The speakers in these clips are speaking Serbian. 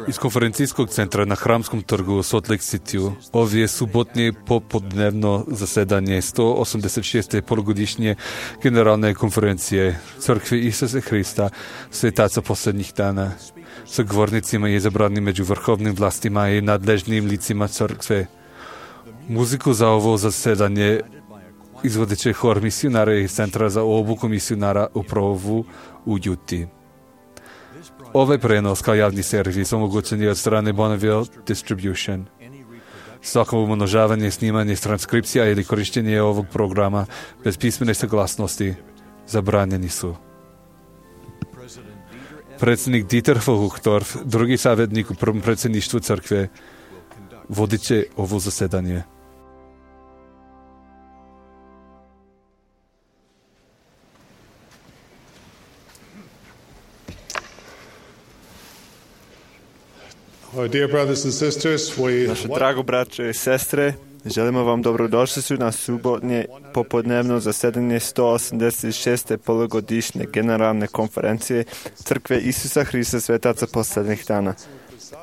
Iz konferencijskog centra na Hramskom trgu u Salt Lake Cityu ovdje je subotnje popodnevno zasedanje 186. polugodišnje generalne konferencije Crkve Isusa Hrista, svetaca posljednjih dana, sa govornicima i izabranim među vrhovnim vlastima i nadležnim licima crkve. Muziku za ovo zasedanje izvodit će hor misionara iz Centra za obuku misionara u Provu u Juti. Ovaj prenos kao javni servis omogućen je od strane Bonneville Distribution. Svako umnožavanje, snimanje, transkripcija ili korištenje ovog programa bez pismene saglasnosti zabranjeni su. Predsjednik Dieter von Uchtdorf, drugi savjetnik u prvom predsjedništvu crkve, vodit će ovo zasedanje. Naše drago braće i sestre, želimo vam dobrodošlicu na subotnje popodnevno zasedanje 186. polugodišnje generalne konferencije Crkve Isusa Hrista svetaca posljednjih dana.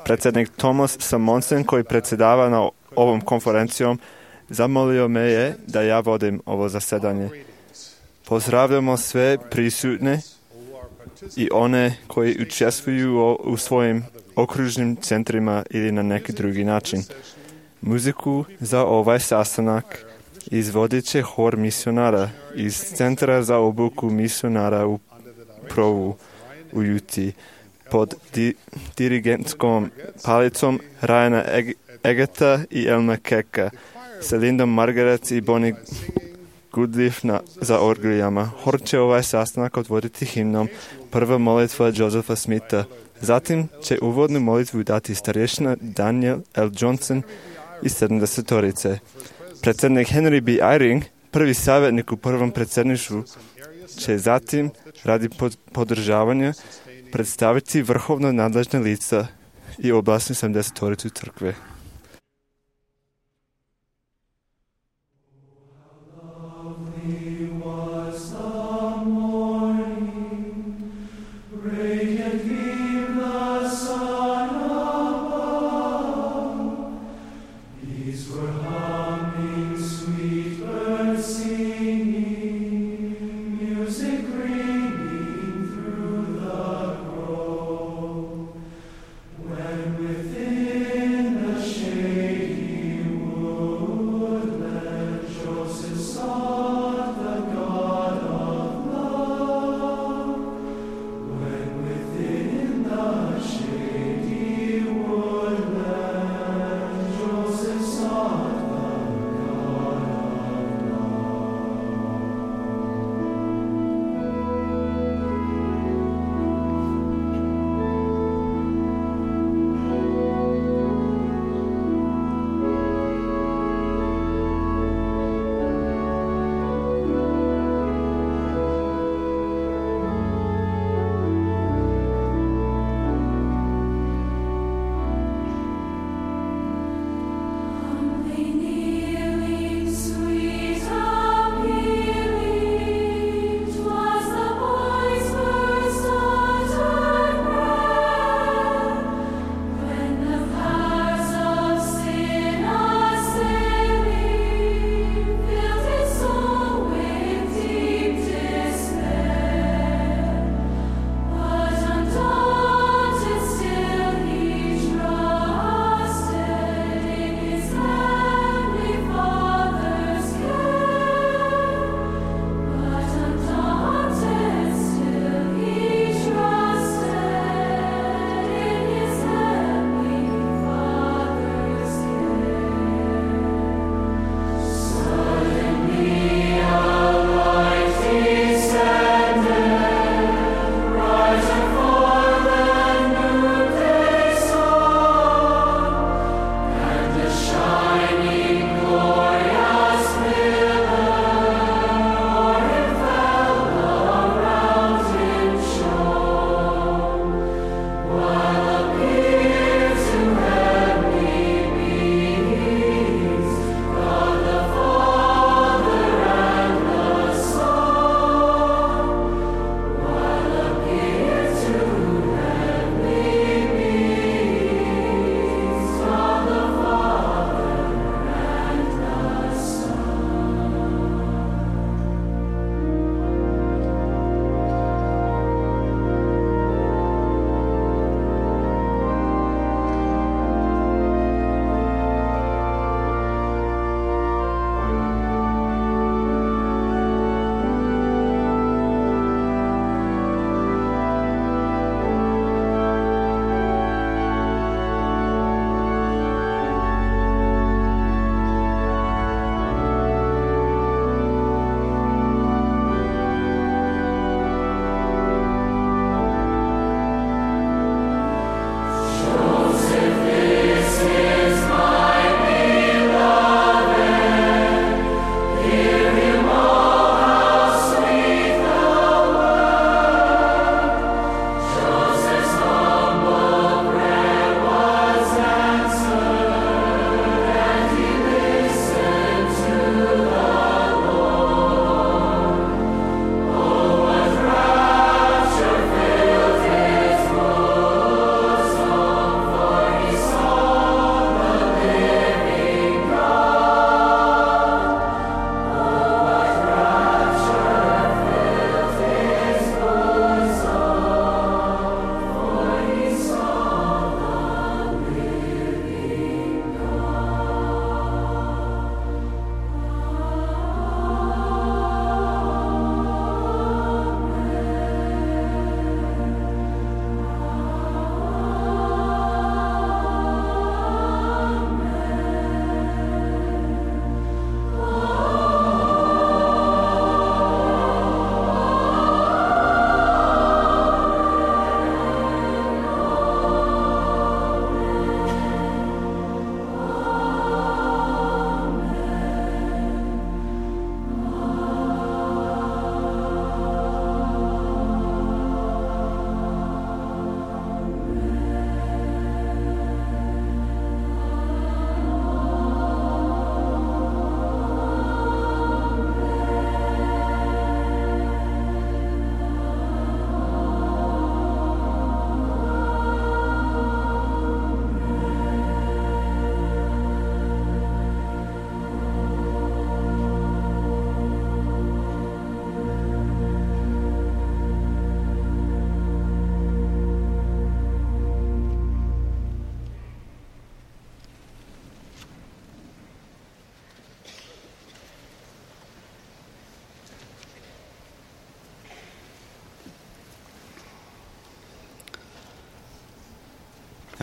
Predsjednik Thomas Samonsen, koji predsjedava na ovom konferencijom, zamolio me je da ja vodim ovo zasedanje. Pozdravljamo sve prisutne i one koji učestvuju u svojim okružnim centrima ili na neki drugi način. Muziku za ovaj sastanak izvodit će hor misionara iz Centra za obuku misionara u Provu u Juti pod dirigentskom palicom Ryana Egeta i Elma Keka, sa Lindom Margaret i Bonnie Goodliff za orglijama. Hor će ovaj sastanak otvoriti himnom Prva molitva Josepha Smitha. Zatim će uvodnu molitvu dati starješina Daniel L. Johnson iz 70-torice. Predsjednik Henry B. Eyring, prvi savjetnik u prvom predsjedništvu, će zatim radi podržavanja predstaviti vrhovno nadležne lica i oblasnu 70-toricu crkve. Within the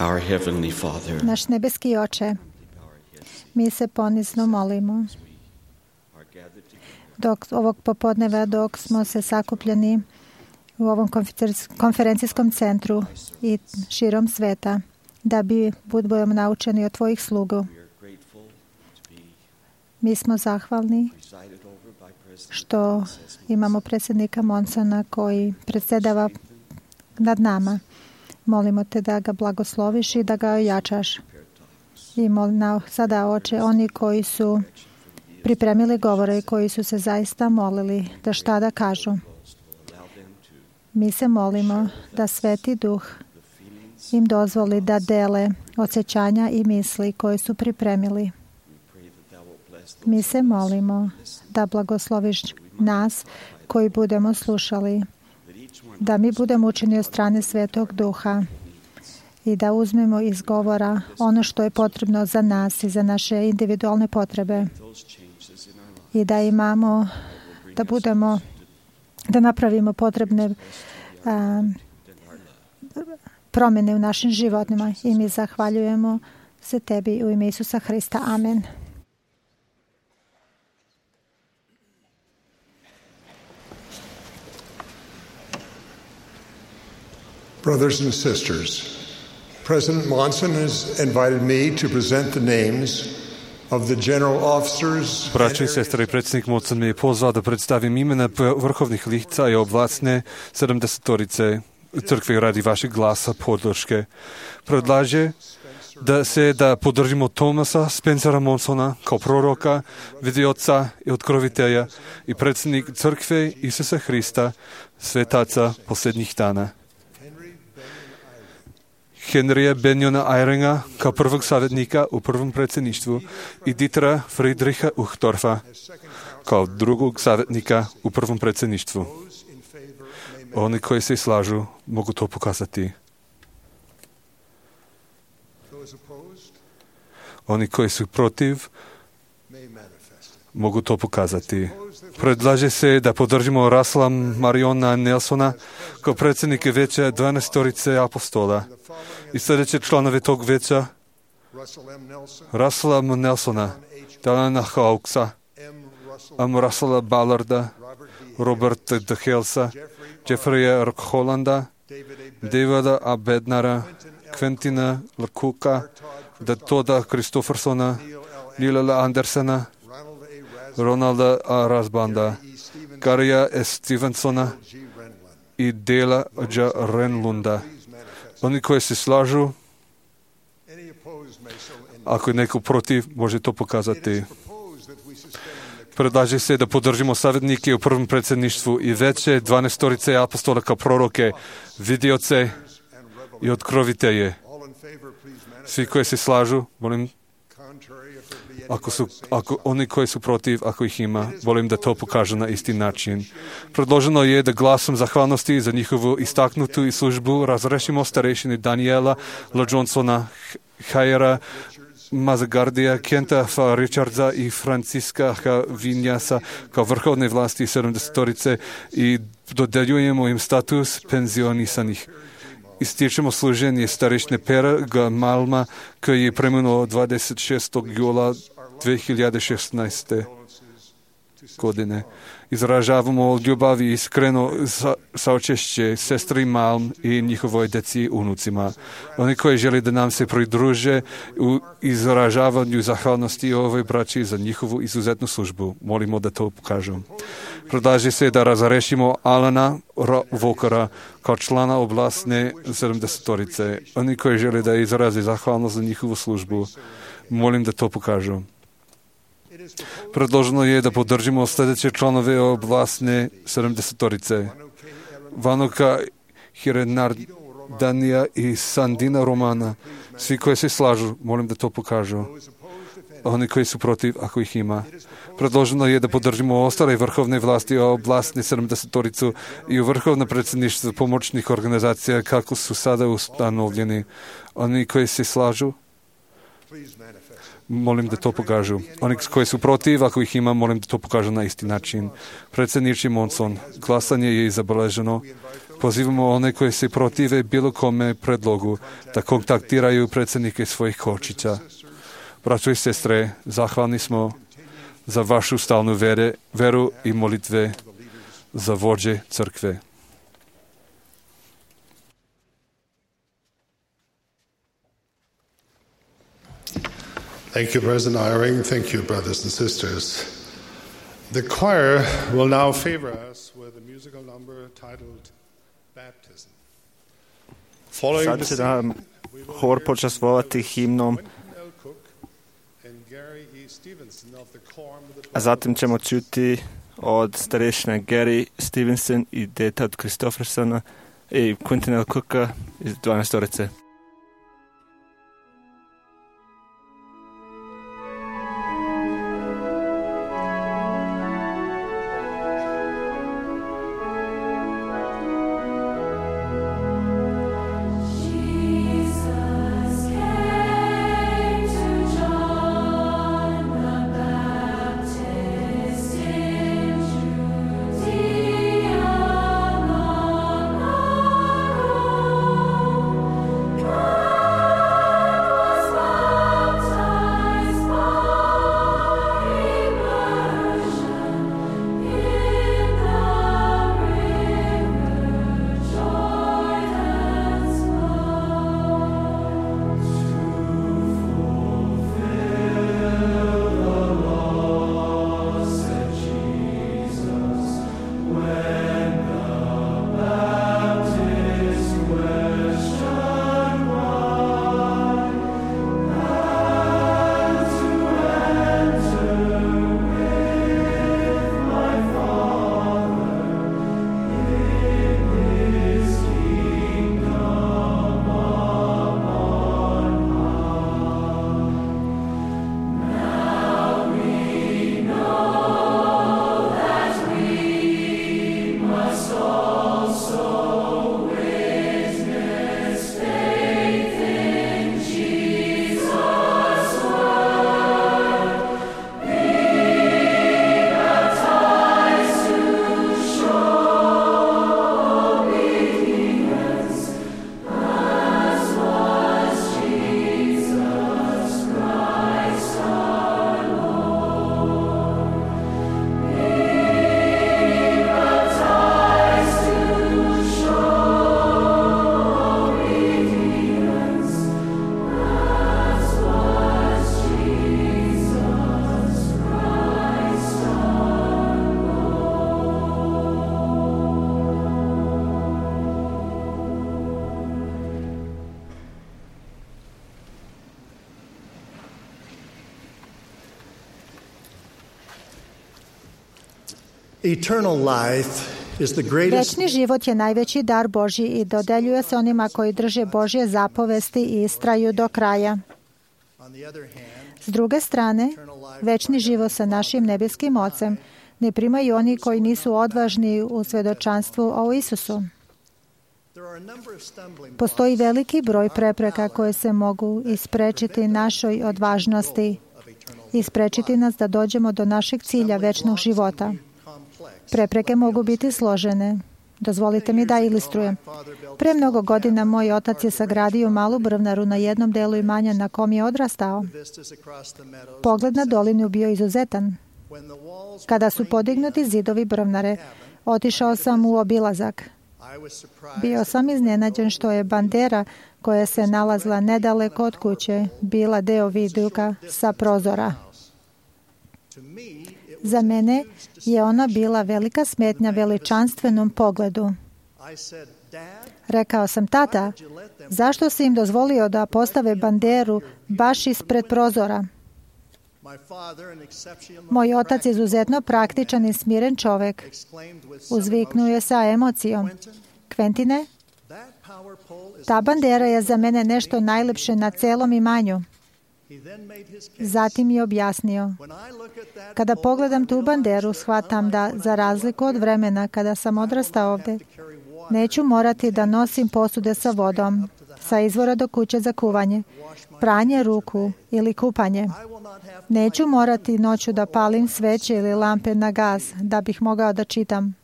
Our Heavenly Father, Naš nebeski Oče, mi se ponizno molimo ovog popodneva dok smo se sakupljeni u ovom konferencijskom centru i širom sveta, da budemo naučeni od tvojih slugu. Mi smo zahvalni što imamo predsjednika Monsona koji predsjedava nad nama. Molimo te da ga blagosloviš i da ga ojačaš. I molim sada, Oče, oni koji su pripremili govore i koji su se zaista molili da šta da kažu. Mi se molimo da Sveti Duh im dozvoli da dele osjećanja i misli koje su pripremili. Mi se molimo da blagosloviš nas koji budemo slušali, da mi budemo učeni od strane Svetog Duha i da uzmemo iz govora ono što je potrebno za nas i za naše individualne potrebe i da imamo, da napravimo potrebne promjene u našim životima. I mi zahvaljujemo se tebi u ime Isusa Hrista. Amen. Brothers and sisters, President Monson has invited me to present the names of the general officers. Braćo i sestre, predsjednik Monson me je pozvao da predstavim imena vrhovnih lica i oblasne 70-torice crkve radi vašeg glasa podrške. Predlaže da podržimo Thomasa Spencera Monsona kao proroka, vidioca i otkrovitelja i predsjednik crkve Isusa Hrista, svetaca posljednjih dana. Henrya Benjona Eyringa kao prvog savjetnika u prvom predsjedništvu i Dietera Friedricha Uchtdorfa kao drugog savjetnika u prvom predsjedništvu. Oni koji se slažu mogu to pokazati. Oni koji su protiv mogu to pokazati. Predlaže se da podržimo Russella Mariona Nelsona kao predsjednika vijeća 12-torice apostola i sljedeće članove tog vijeća: Russella M. Nelsona, Dalana Hawksa, M. Russella Ballarda, Roberta D. Halesa, Jeffreya Rockhallanda, Davida A. Bednara, Quentina Lakuka, Toda Christophersona, Lila Andersona, Ronalda A. Rasbanda, Garija S. Stevensona i Dela J. Renlunda. Oni koji se slažu, ako je neko protiv, može to pokazati. Predlaže se da podržimo savjetnike u prvom predsjedništvu i veće 12-torice apostola kao proroke, vidioce i otkrovitelje. Svi koji se slažu, molim, ako oni koji su protiv, ako ih ima, volim da to pokažu na isti način. Predloženo je da glasom zahvalnosti za njihovu istaknutu i službu razrešimo starešine Daniela L. Johnsona, Hayera Mazagardija, Kenta F. Richardsa i Franciska H. Vinjasa kao vrhovne vlasti 70-torice i dodeljujemo im status penzionisanih. Ističemo služenje starešine Pera G. Malma koji je preminuo 26. jula 2016. godine. Izražavamo ljubav i iskreno saučešće sestri Malm i njihovoj deci i unucima. Oni koji žele da nam se pridruže u izražavanju zahvalnosti ovoj braći za njihovu izuzetnu službu. Molimo da to pokažu. Predlaže se da razrešimo Alana Walkera kao člana oblasne 70-torice. Oni koji žele da izraze zahvalnost za njihovu službu. Molim da to pokažu. Predloženo je da podržimo sljedeće članove oblasne 70-torice. Vanoka Hirenardanija i Sandina Romana. Svi koji se slažu, molim da to pokažu. Oni koji su protiv, ako ih ima. Predloženo je da podržimo ostale vrhovne vlasti oblasne 70-toricu i u vrhovno predsjedništvo pomoćnih organizacija kako su sada ustanovljeni. Oni koji se slažu, molim da to pokažu. Oni koji su protiv, ako ih ima, molim da to pokažu na isti način. Predsjedniče Monson, glasanje je zabeleženo Pozivamo one koji se protive bilo kome predlogu da kontaktiraju predsjednike svojih kočića. Braćo i sestre, zahvalni smo za vašu stalnu veru i molitve za vođe crkve. Thank you, President Eyring. Thank you, brothers and sisters. The choir will now favor us with a musical number titled Baptism. Sad će nam hor počastvovati himnom, a zatim ćemo čuti od starešine Gary Stevenson i deta od Christophersona i Quentin L. Cooka iz 12-orice. Večni život je najveći dar Božji i dodeljuje se onima koji drže Božje zapovesti i istraju do kraja. S druge strane, večni život sa našim nebeskim Ocem ne primaju oni koji nisu odvažni u svedočanstvu o Isusu. Postoji veliki broj prepreka koje se mogu isprečiti našoj odvažnosti i isprečiti nas da dođemo do našeg cilja večnog života. Prepreke mogu biti složene. Dozvolite mi da ilustrujem. Pre mnogo godina moj otac je sagradio malu brvnaru na jednom delu imanja na kom je odrastao. Pogled na dolinu bio izuzetan. Kada su podignuti zidovi brvnare, otišao sam u obilazak. Bio sam iznenađen što je bandera koja se nalazila nedaleko od kuće bila deo viduka sa prozora. Za mene je ona bila velika smetnja veličanstvenom pogledu. Rekao sam, tata, zašto si im dozvolio da postave banderu baš ispred prozora? Moj otac je izuzetno praktičan i smiren čovek. Uzviknuo je sa emocijom. Kventine, ta bandera je za mene nešto najlepše na celom imanju. Zatim je objasnio. Kada pogledam tu banderu, shvatam da, za razliku od vremena kada sam odrastao ovde, neću morati da nosim posude sa vodom. sa izvora do kuće za kuvanje, pranje ruku ili kupanje. Neću morati noću da palim sveće ili lampe na gas da bih mogao da čitam.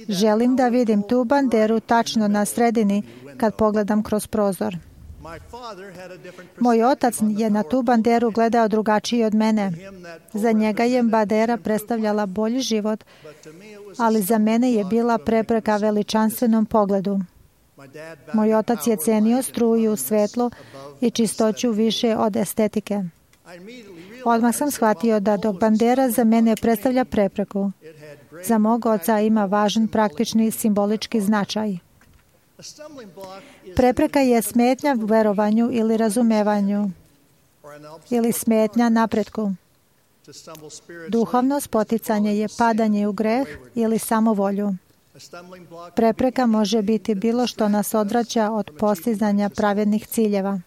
Želim da vidim tu banderu tačno na sredini kad pogledam kroz prozor. Moj otac je na tu banderu gledao drugačije od mene. Za njega je bandera predstavljala bolji život, ali za mene je bila prepreka veličanstvenom pogledu. Moj otac je cenio struju, svetlo i čistoću više od estetike. Odmah sam shvatio da dok bandera za mene predstavlja prepreku, za mog oca ima važan praktični simbolički značaj. Prepreka je smetnja u verovanju ili razumevanju ili smetnja napretku. Duhovno spoticanje je padanje u greh ili samovolju. Prepreka može biti bilo što nas odvraća od postizanja pravednih ciljeva.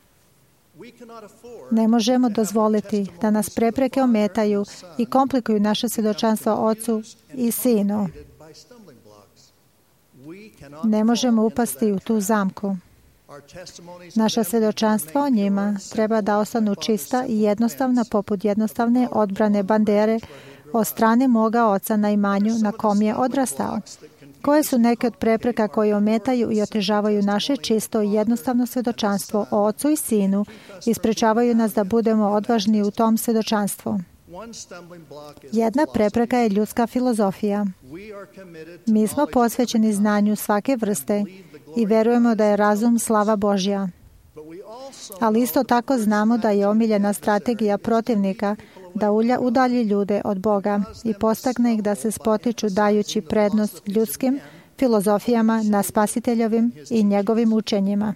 Ne možemo dozvoliti da nas prepreke ometaju i komplikuju naše svjedočanstvo Ocu i Sinu. Ne možemo upasti u tu zamku. Naša svjedočanstva o njima treba da ostanu čista i jednostavna poput jednostavne odbrane bandere od strane moga oca na imanju na kom je odrastao. Koje su neke od prepreka koje ometaju i otežavaju naše čisto i jednostavno svjedočanstvo o Ocu i Sinu i sprečavaju nas da budemo odvažni u tom svjedočanstvu? Jedna prepreka je ljudska filozofija. Mi smo posvećeni znanju svake vrste i verujemo da je razum slava Božja. Ali isto tako znamo da je omiljena strategija protivnika da udalji ljude od Boga i postakne ih da se spotiču dajući prednost ljudskim filozofijama na Spasiteljovim i njegovim učenjima.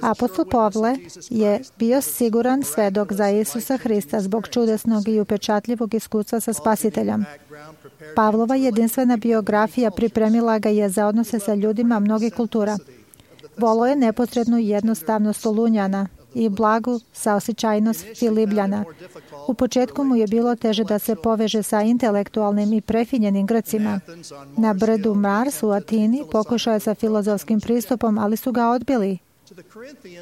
Apostol Pavle je bio siguran svedok za Isusa Hrista zbog čudesnog i upečatljivog iskustva sa Spasiteljem. Pavlova jedinstvena biografija pripremila ga je za odnose sa ljudima mnogih kultura. Volao je neposrednu i jednostavnost Solunjana i blagu saosećajnost Filibljana. U početku mu je bilo teže da se poveže sa intelektualnim i prefinjenim Grcima. Na brdu Mars u Atini pokušao je sa filozofskim pristupom, ali su ga odbili.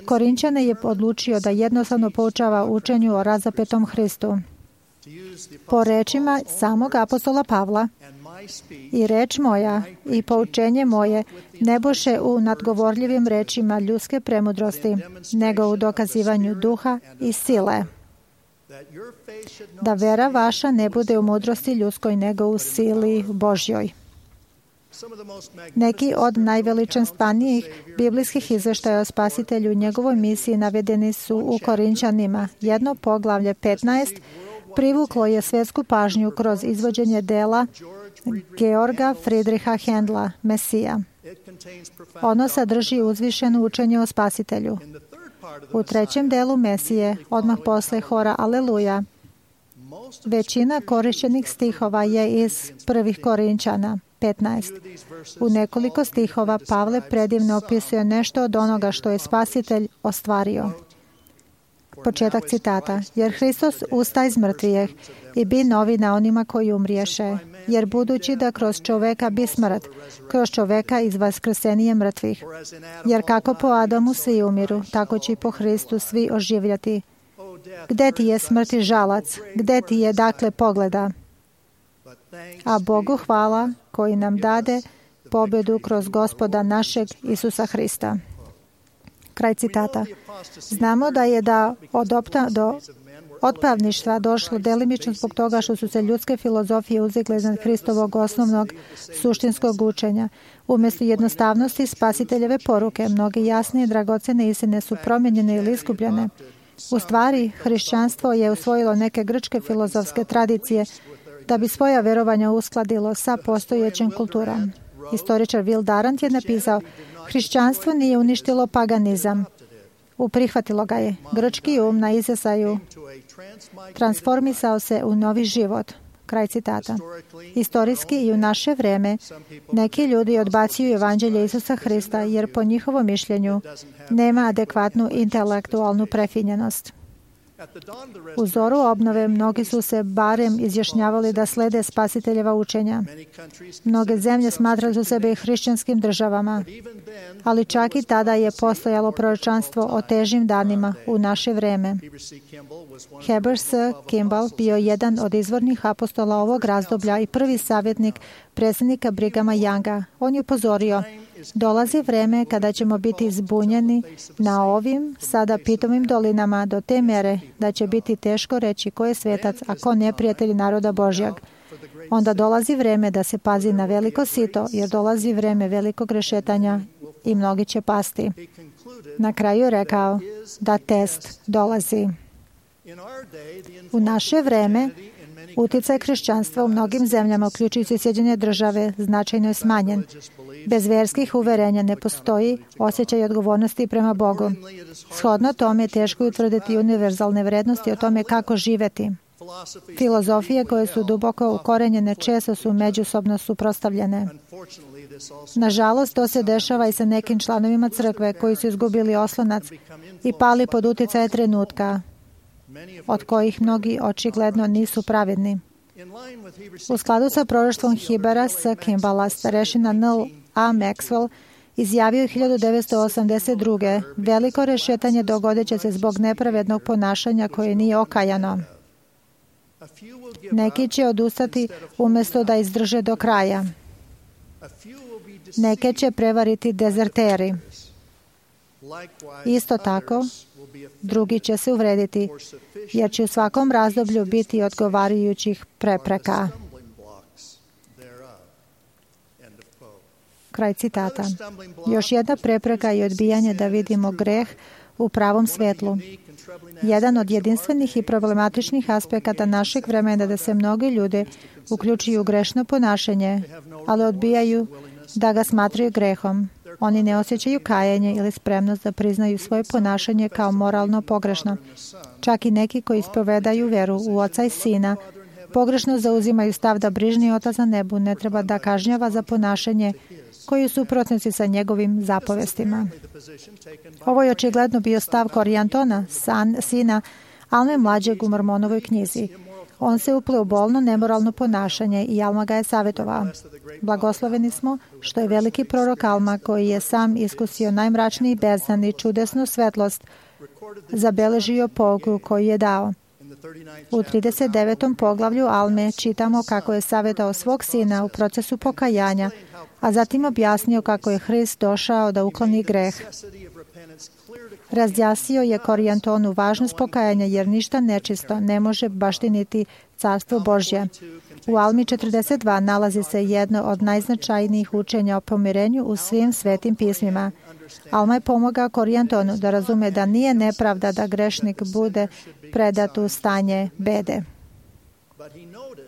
Korinćane je odlučio da jednostavno poučava učenju o razapetom Hristu. Po rečima samog apostola Pavla, i reč moja i poučenje moje ne boše u nadgovorljivim rečima ljudske premudrosti, nego u dokazivanju duha i sile. Da vera vaša ne bude u mudrosti ljudskoj, nego u sili Božjoj. Neki od najveličanstvenijih biblijskih izveštaja o Spasitelju i njegovoj misiji navedeni su u Korinćanima. Jedno poglavlje 15 privuklo je svjetsku pažnju kroz izvođenje dela Georga Friedricha Händla, Mesija. Ono sadrži uzvišeno učenje o Spasitelju. U trećem delu Mesije, odmah posle hora Aleluja, većina korišćenih stihova je iz prvih Korinćana 15. U nekoliko stihova Pavle predivno opisuje nešto od onoga što je Spasitelj ostvario. Početak citata. Jer Hristos usta iz mrtvijeh i bi novi na onima koji umriješe. Jer budući da kroz čoveka bi smrt, kroz čoveka iz vaskrsenije mrtvih. Jer kako po Adamu svi umiru, tako će i po Hristu svi oživljati. Gde ti je smrti žalac? Gde ti je dakle pogleda? A Bogu hvala koji nam dade pobedu kroz Gospoda našeg Isusa Hrista. Kraj citata. Znamo da je od otpravništva došlo delimično zbog toga što su se ljudske filozofije uzigle iznad Hristovog osnovnog suštinskog učenja. Umjesto jednostavnosti Spasiteljeve poruke, mnoge jasne i dragocene istine su promijenjene ili iskupljene. U stvari, hrišćanstvo je usvojilo neke grčke filozofske tradicije da bi svoja verovanja uskladilo sa postojećem kulturom. Historičar Will Durant je napisao: hrišćanstvo nije uništilo paganizam. Uprihvatilo ga je. Grčki um na izjasaju transformisao se u novi život. Kraj citata. Istorijski i u naše vreme neki ljudi odbacuju evanđelje Isusa Hrista jer po njihovom mišljenju nema adekvatnu intelektualnu prefinjenost. U zoru obnove mnogi su se barem izjašnjavali da slede spasiteljeva učenja. Mnoge zemlje smatrali su sebe hrišćanskim državama, ali čak i tada je postojalo proročanstvo o težim danima u naše vreme. Heber C. Kimball bio jedan od izvornih apostola ovog razdoblja i prvi savjetnik predsjednika Brighama Younga. On je upozorio: dolazi vreme kada ćemo biti zbunjeni na ovim sada pitomim dolinama do te mere da će biti teško reći ko je svetac, a ko neprijatelj naroda Božjeg. Onda dolazi vreme da se pazi na veliko sito, jer dolazi vreme velikog rešetanja i mnogi će pasti. Na kraju je rekao da test dolazi. U naše vreme uticaj hrišćanstva u mnogim zemljama, uključujući Sjedinjene Države, značajno je smanjen. Bez verskih uverenja ne postoji osjećaj odgovornosti prema Bogu. Shodno tome je teško utvrditi univerzalne vrednosti o tome kako živeti. Filozofije koje su duboko ukorenjene često su međusobno suprotstavljene. Nažalost, to se dešava i sa nekim članovima crkve koji su izgubili oslonac i pali pod uticaje trenutka, od kojih mnogi očigledno nisu pravedni. U skladu sa proroštvom Hebera C. Kimballa, starešina N. A. Maxwell izjavio 1982. veliko rešetanje dogodit će se zbog nepravednog ponašanja koje nije okajano. Neki će odustati umjesto da izdrže do kraja. Neke će prevariti dezerteri. Isto tako, drugi će se uvrediti, jer će u svakom razdoblju biti odgovarajućih prepreka. Kraj citata. Još jedna prepreka je odbijanje da vidimo greh u pravom svetlu. Jedan od jedinstvenih i problematičnih aspekata našeg vremena je da se mnogi ljudi uključuju u grešno ponašanje, ali odbijaju da ga smatraju grehom. Oni ne osjećaju kajanje ili spremnost da priznaju svoje ponašanje kao moralno pogrešno. Čak i neki koji ispovedaju veru u Oca i Sina pogrešno zauzimaju stav da brižni Otac na nebu ne treba da kažnjava za ponašanje koji je u suprotnosti sa njegovim zapovestima. Ovo je očigledno bio stav Korijantona, sina Alme mlađeg u Mormonovoj knjizi. On se upleo u bolno, nemoralno ponašanje i Alma ga je savjetovao. Blagosloveni smo što je veliki prorok Alma, koji je sam iskusio najmračniji beznad i čudesnu svetlost, zabeležio pouku koju je dao. U 39. poglavlju Alme čitamo kako je savjetao svog sina u procesu pokajanja, a zatim objasnio kako je Hrist došao da ukloni greh. Razjasnio je Korijantonu važnost pokajanja, jer ništa nečisto ne može baštiniti Carstvo Božje. U Almi 42 nalazi se jedno od najznačajnijih učenja o pomirenju u svim svetim pismima. Alma je pomogao Korijantonu da razume da nije nepravda da grešnik bude predat u stanje bede.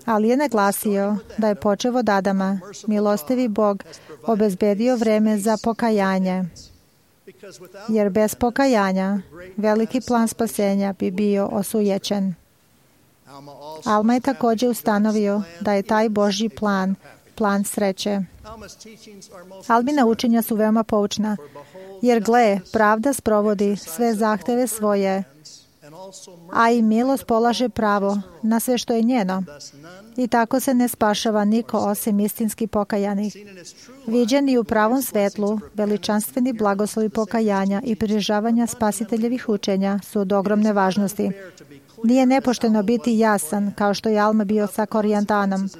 Ali je naglasio da je počev od Adama, milostivi Bog, obezbedio vreme za pokajanje, jer bez pokajanja veliki plan spasenja bi bio osujećen. Alma je također ustanovio da je taj Božji plan sreće. Almina učenja su veoma poučna, jer gle, pravda sprovodi sve zahteve svoje, a i milost polaže pravo na sve što je njeno. I tako se ne spašava niko osim istinski pokajanih. Viđeni u pravom svetlu, veličanstveni blagoslovi pokajanja i pridržavanja spasiteljevih učenja su od ogromne važnosti. Nije nepošteno biti jasan, kao što je Alma bio sa Korijantanom,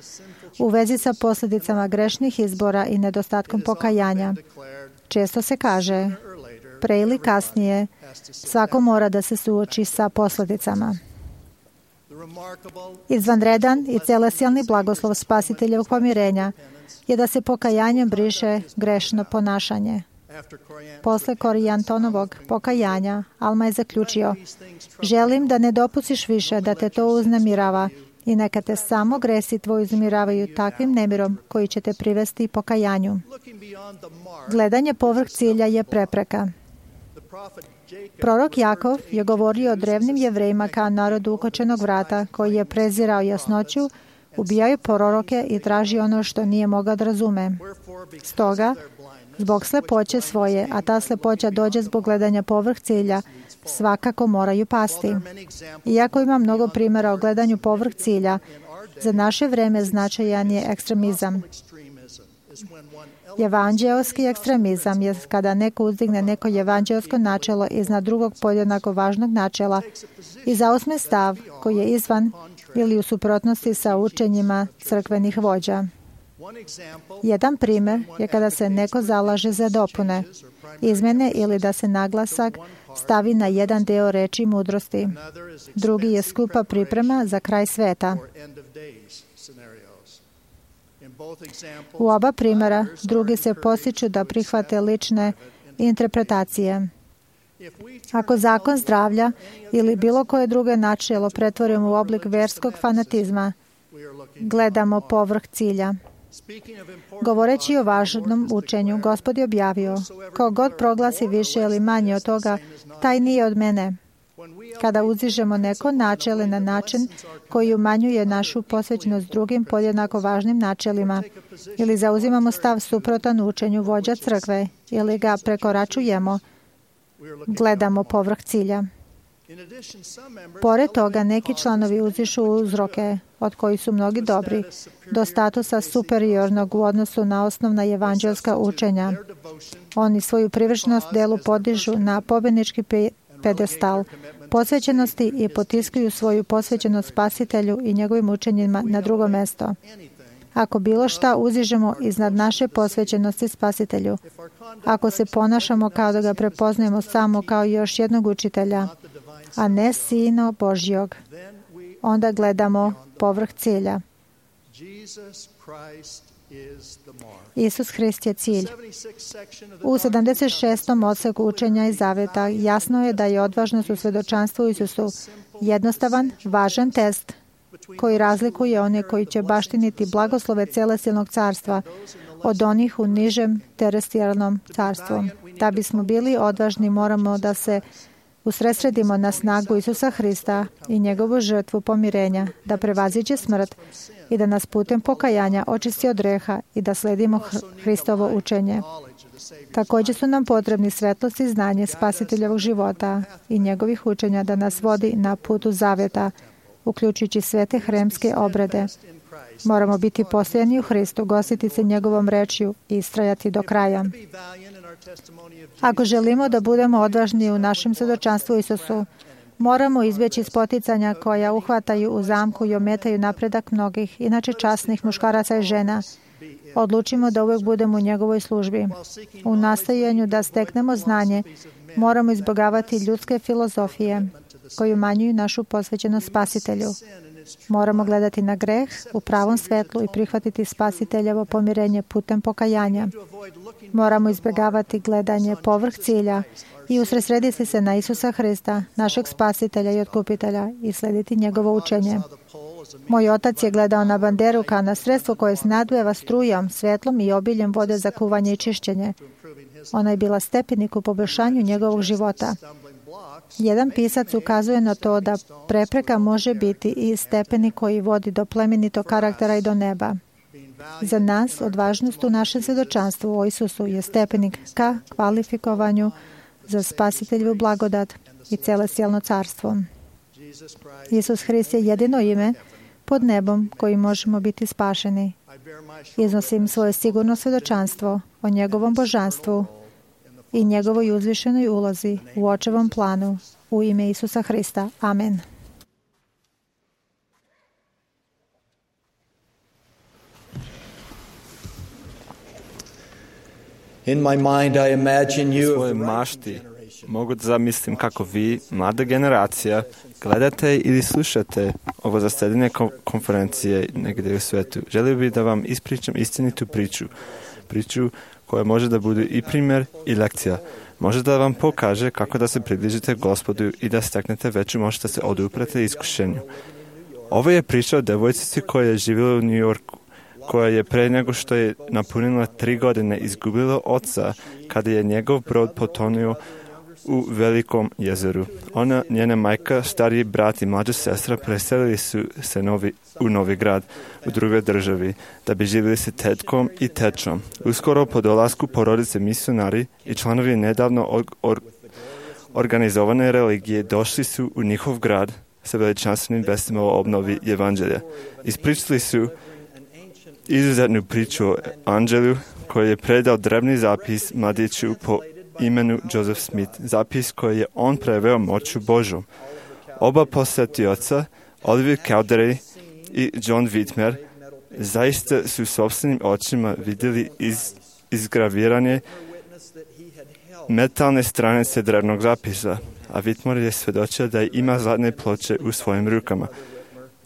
u vezi sa posljedicama grešnih izbora i nedostatkom pokajanja. Često se kaže, pre ili kasnije, svako mora da se suoči sa posljedicama. Izvanredan i celestijalni blagoslov spasiteljevog pomirenja je da se pokajanjem briše grešno ponašanje. Posle Korijantonovog pokajanja, Alma je zaključio: želim da ne dopustiš više da te to uznemirava i neka te samo gresi tvoji uznemiravaju takvim nemirom koji će te privesti pokajanju. Gledanje povrh cilja je prepreka. Prorok Jakov je govorio o drevnim Jevrejima kao narodu ukočenog vrata, koji je prezirao jasnoću, ubijao proroke i tražio ono što nije mogao da razume. Stoga, zbog slepoće svoje, a ta slepoća dođe zbog gledanja povrh cilja, svakako moraju pasti. Iako ima mnogo primjera o gledanju povrh cilja, za naše vreme značajan je ekstremizam. Evanđeoski ekstremizam je kada neko uzdigne neko evanđeosko načelo iznad drugog podjednako važnog načela i zauzme stav koji je izvan ili u suprotnosti sa učenjima crkvenih vođa. Jedan primjer je kada se neko zalaže za dopune, izmjene ili da se naglasak stavi na jedan deo reči mudrosti. Drugi je skupa priprema za kraj sveta. U oba primjera drugi se postiču da prihvate lične interpretacije. Ako zakon zdravlja ili bilo koje druge načelo pretvorimo u oblik verskog fanatizma, gledamo povrh cilja. Govoreći o važnom učenju, Gospod je objavio, ko god proglasi više ili manje od toga, taj nije od mene. Kada uzižemo neko načelo na način koji umanjuje našu posvećenost drugim podjednako važnim načelima ili zauzimamo stav suprotan učenju vođa crkve ili ga prekoračujemo, gledamo povrh cilja. Pored toga, neki članovi uzišu uzroke, od kojih su mnogi dobri, do statusa superiornog u odnosu na osnovna evanđelska učenja. Oni svoju privrženost delu podižu na pobjednički pedestal posvećenosti i potiskuju svoju posvećenost Spasitelju i njegovim učenjima na drugo mesto. Ako bilo šta uzižemo iznad naše posvećenosti Spasitelju, ako se ponašamo kao da ga prepoznajemo samo kao još jednog učitelja, a ne Sina Božjog, onda gledamo povrh cilja. Isus Hrist je cilj. U 76. odseku učenja i zaveta jasno je da je odvažnost u svjedočanstvu Isusu jednostavan, važan test koji razlikuje one koji će baštiniti blagoslove celestijalnog carstva od onih u nižem terestijalnom carstvu. Da bismo bili odvažni, moramo da se usredsredimo na snagu Isusa Hrista i njegovu žrtvu pomirenja, da prevaziđe smrt i da nas putem pokajanja očisti od greha i da sledimo Hristovo učenje. Također su nam potrebni svetlost i znanje Spasiteljevog života i njegovih učenja da nas vodi na putu zavjeta, uključujući svete hremske obrede. Moramo biti postojani u Hristu, gostiti se njegovom rečju i istrajati do kraja. Ako želimo da budemo odvažni u našem svjedočanstvu Isusu, moramo izbjeći spoticanja koja uhvataju u zamku i ometaju napredak mnogih, inače časnih muškaraca i žena. Odlučimo da uvijek budemo u njegovoj službi. U nastojanju da steknemo znanje, moramo izbjegavati ljudske filozofije koji umanjuju našu posvećenost Spasitelju. Moramo gledati na greh u pravom svetlu i prihvatiti Spasiteljevo pomirenje putem pokajanja. Moramo izbjegavati gledanje povrh cilja i usredsrediti se na Isusa Hrista, našeg Spasitelja i Otkupitelja, i slediti njegovo učenje. Moj otac je gledao na banderu kao na sredstvo koje snadujeva strujom, svetlom i obiljem vode za kuvanje i čišćenje. Ona je bila stepenik u poboljšanju njegovog života. Jedan pisac ukazuje na to da prepreka može biti i stepenik koji vodi do plemenitog karaktera i do neba. Za nas, odvažnost u našem svjedočanstvu o Isusu je stepenik ka kvalifikovanju za Spasiteljevu blagodat i celestijalno carstvo. Isus Hrist je jedino ime pod nebom kojim možemo biti spašeni. Iznosim svoje sigurno svjedočanstvo o njegovom božanstvu i njegovoj uzvišenoj ulozi u očevom planu u ime Isusa Hrista. Amen. In my mind I imagine you svoje mašti mogu da zamislim kako vi, mlada generacija, gledate ili slušate ovo zasedanje konferencije negdje u svetu. Želio bih da vam ispričam istinitu priču koja može da bude i primjer i lekcija. Može da vam pokaže kako da se približite Gospodu i da steknete veću moć da se oduprete iskušenju. Ovo je priča o devojčici koja je živjela u New Yorku, koja je pre nego što je napunila 3 godine izgubila oca kada je njegov brod potonuo u Velikom jezeru. Ona, njena majka, stariji brat i mlađa sestra preselili su se u Novi Grad, u drugoj državi, da bi živjeli se tetkom i tečom. Uskoro po dolasku porodice misionari i članovi nedavno organizovane religije došli su u njihov grad sa veličanstvenim vestima o obnovi evanđelja. Ispričali su izuzetnu priču o anđelu koji je predao drevni zapis mladiću po imenu Joseph Smith, zapis koji je on preveo moću Božom. Oba posjetioca, Oliver Cowdery i John Whitmer, zaista su sopstvenim očima vidjeli izgraviranje metalne stranice drevnog zapisa, a Whitmer je svjedočio da ima zlatne ploče u svojim rukama.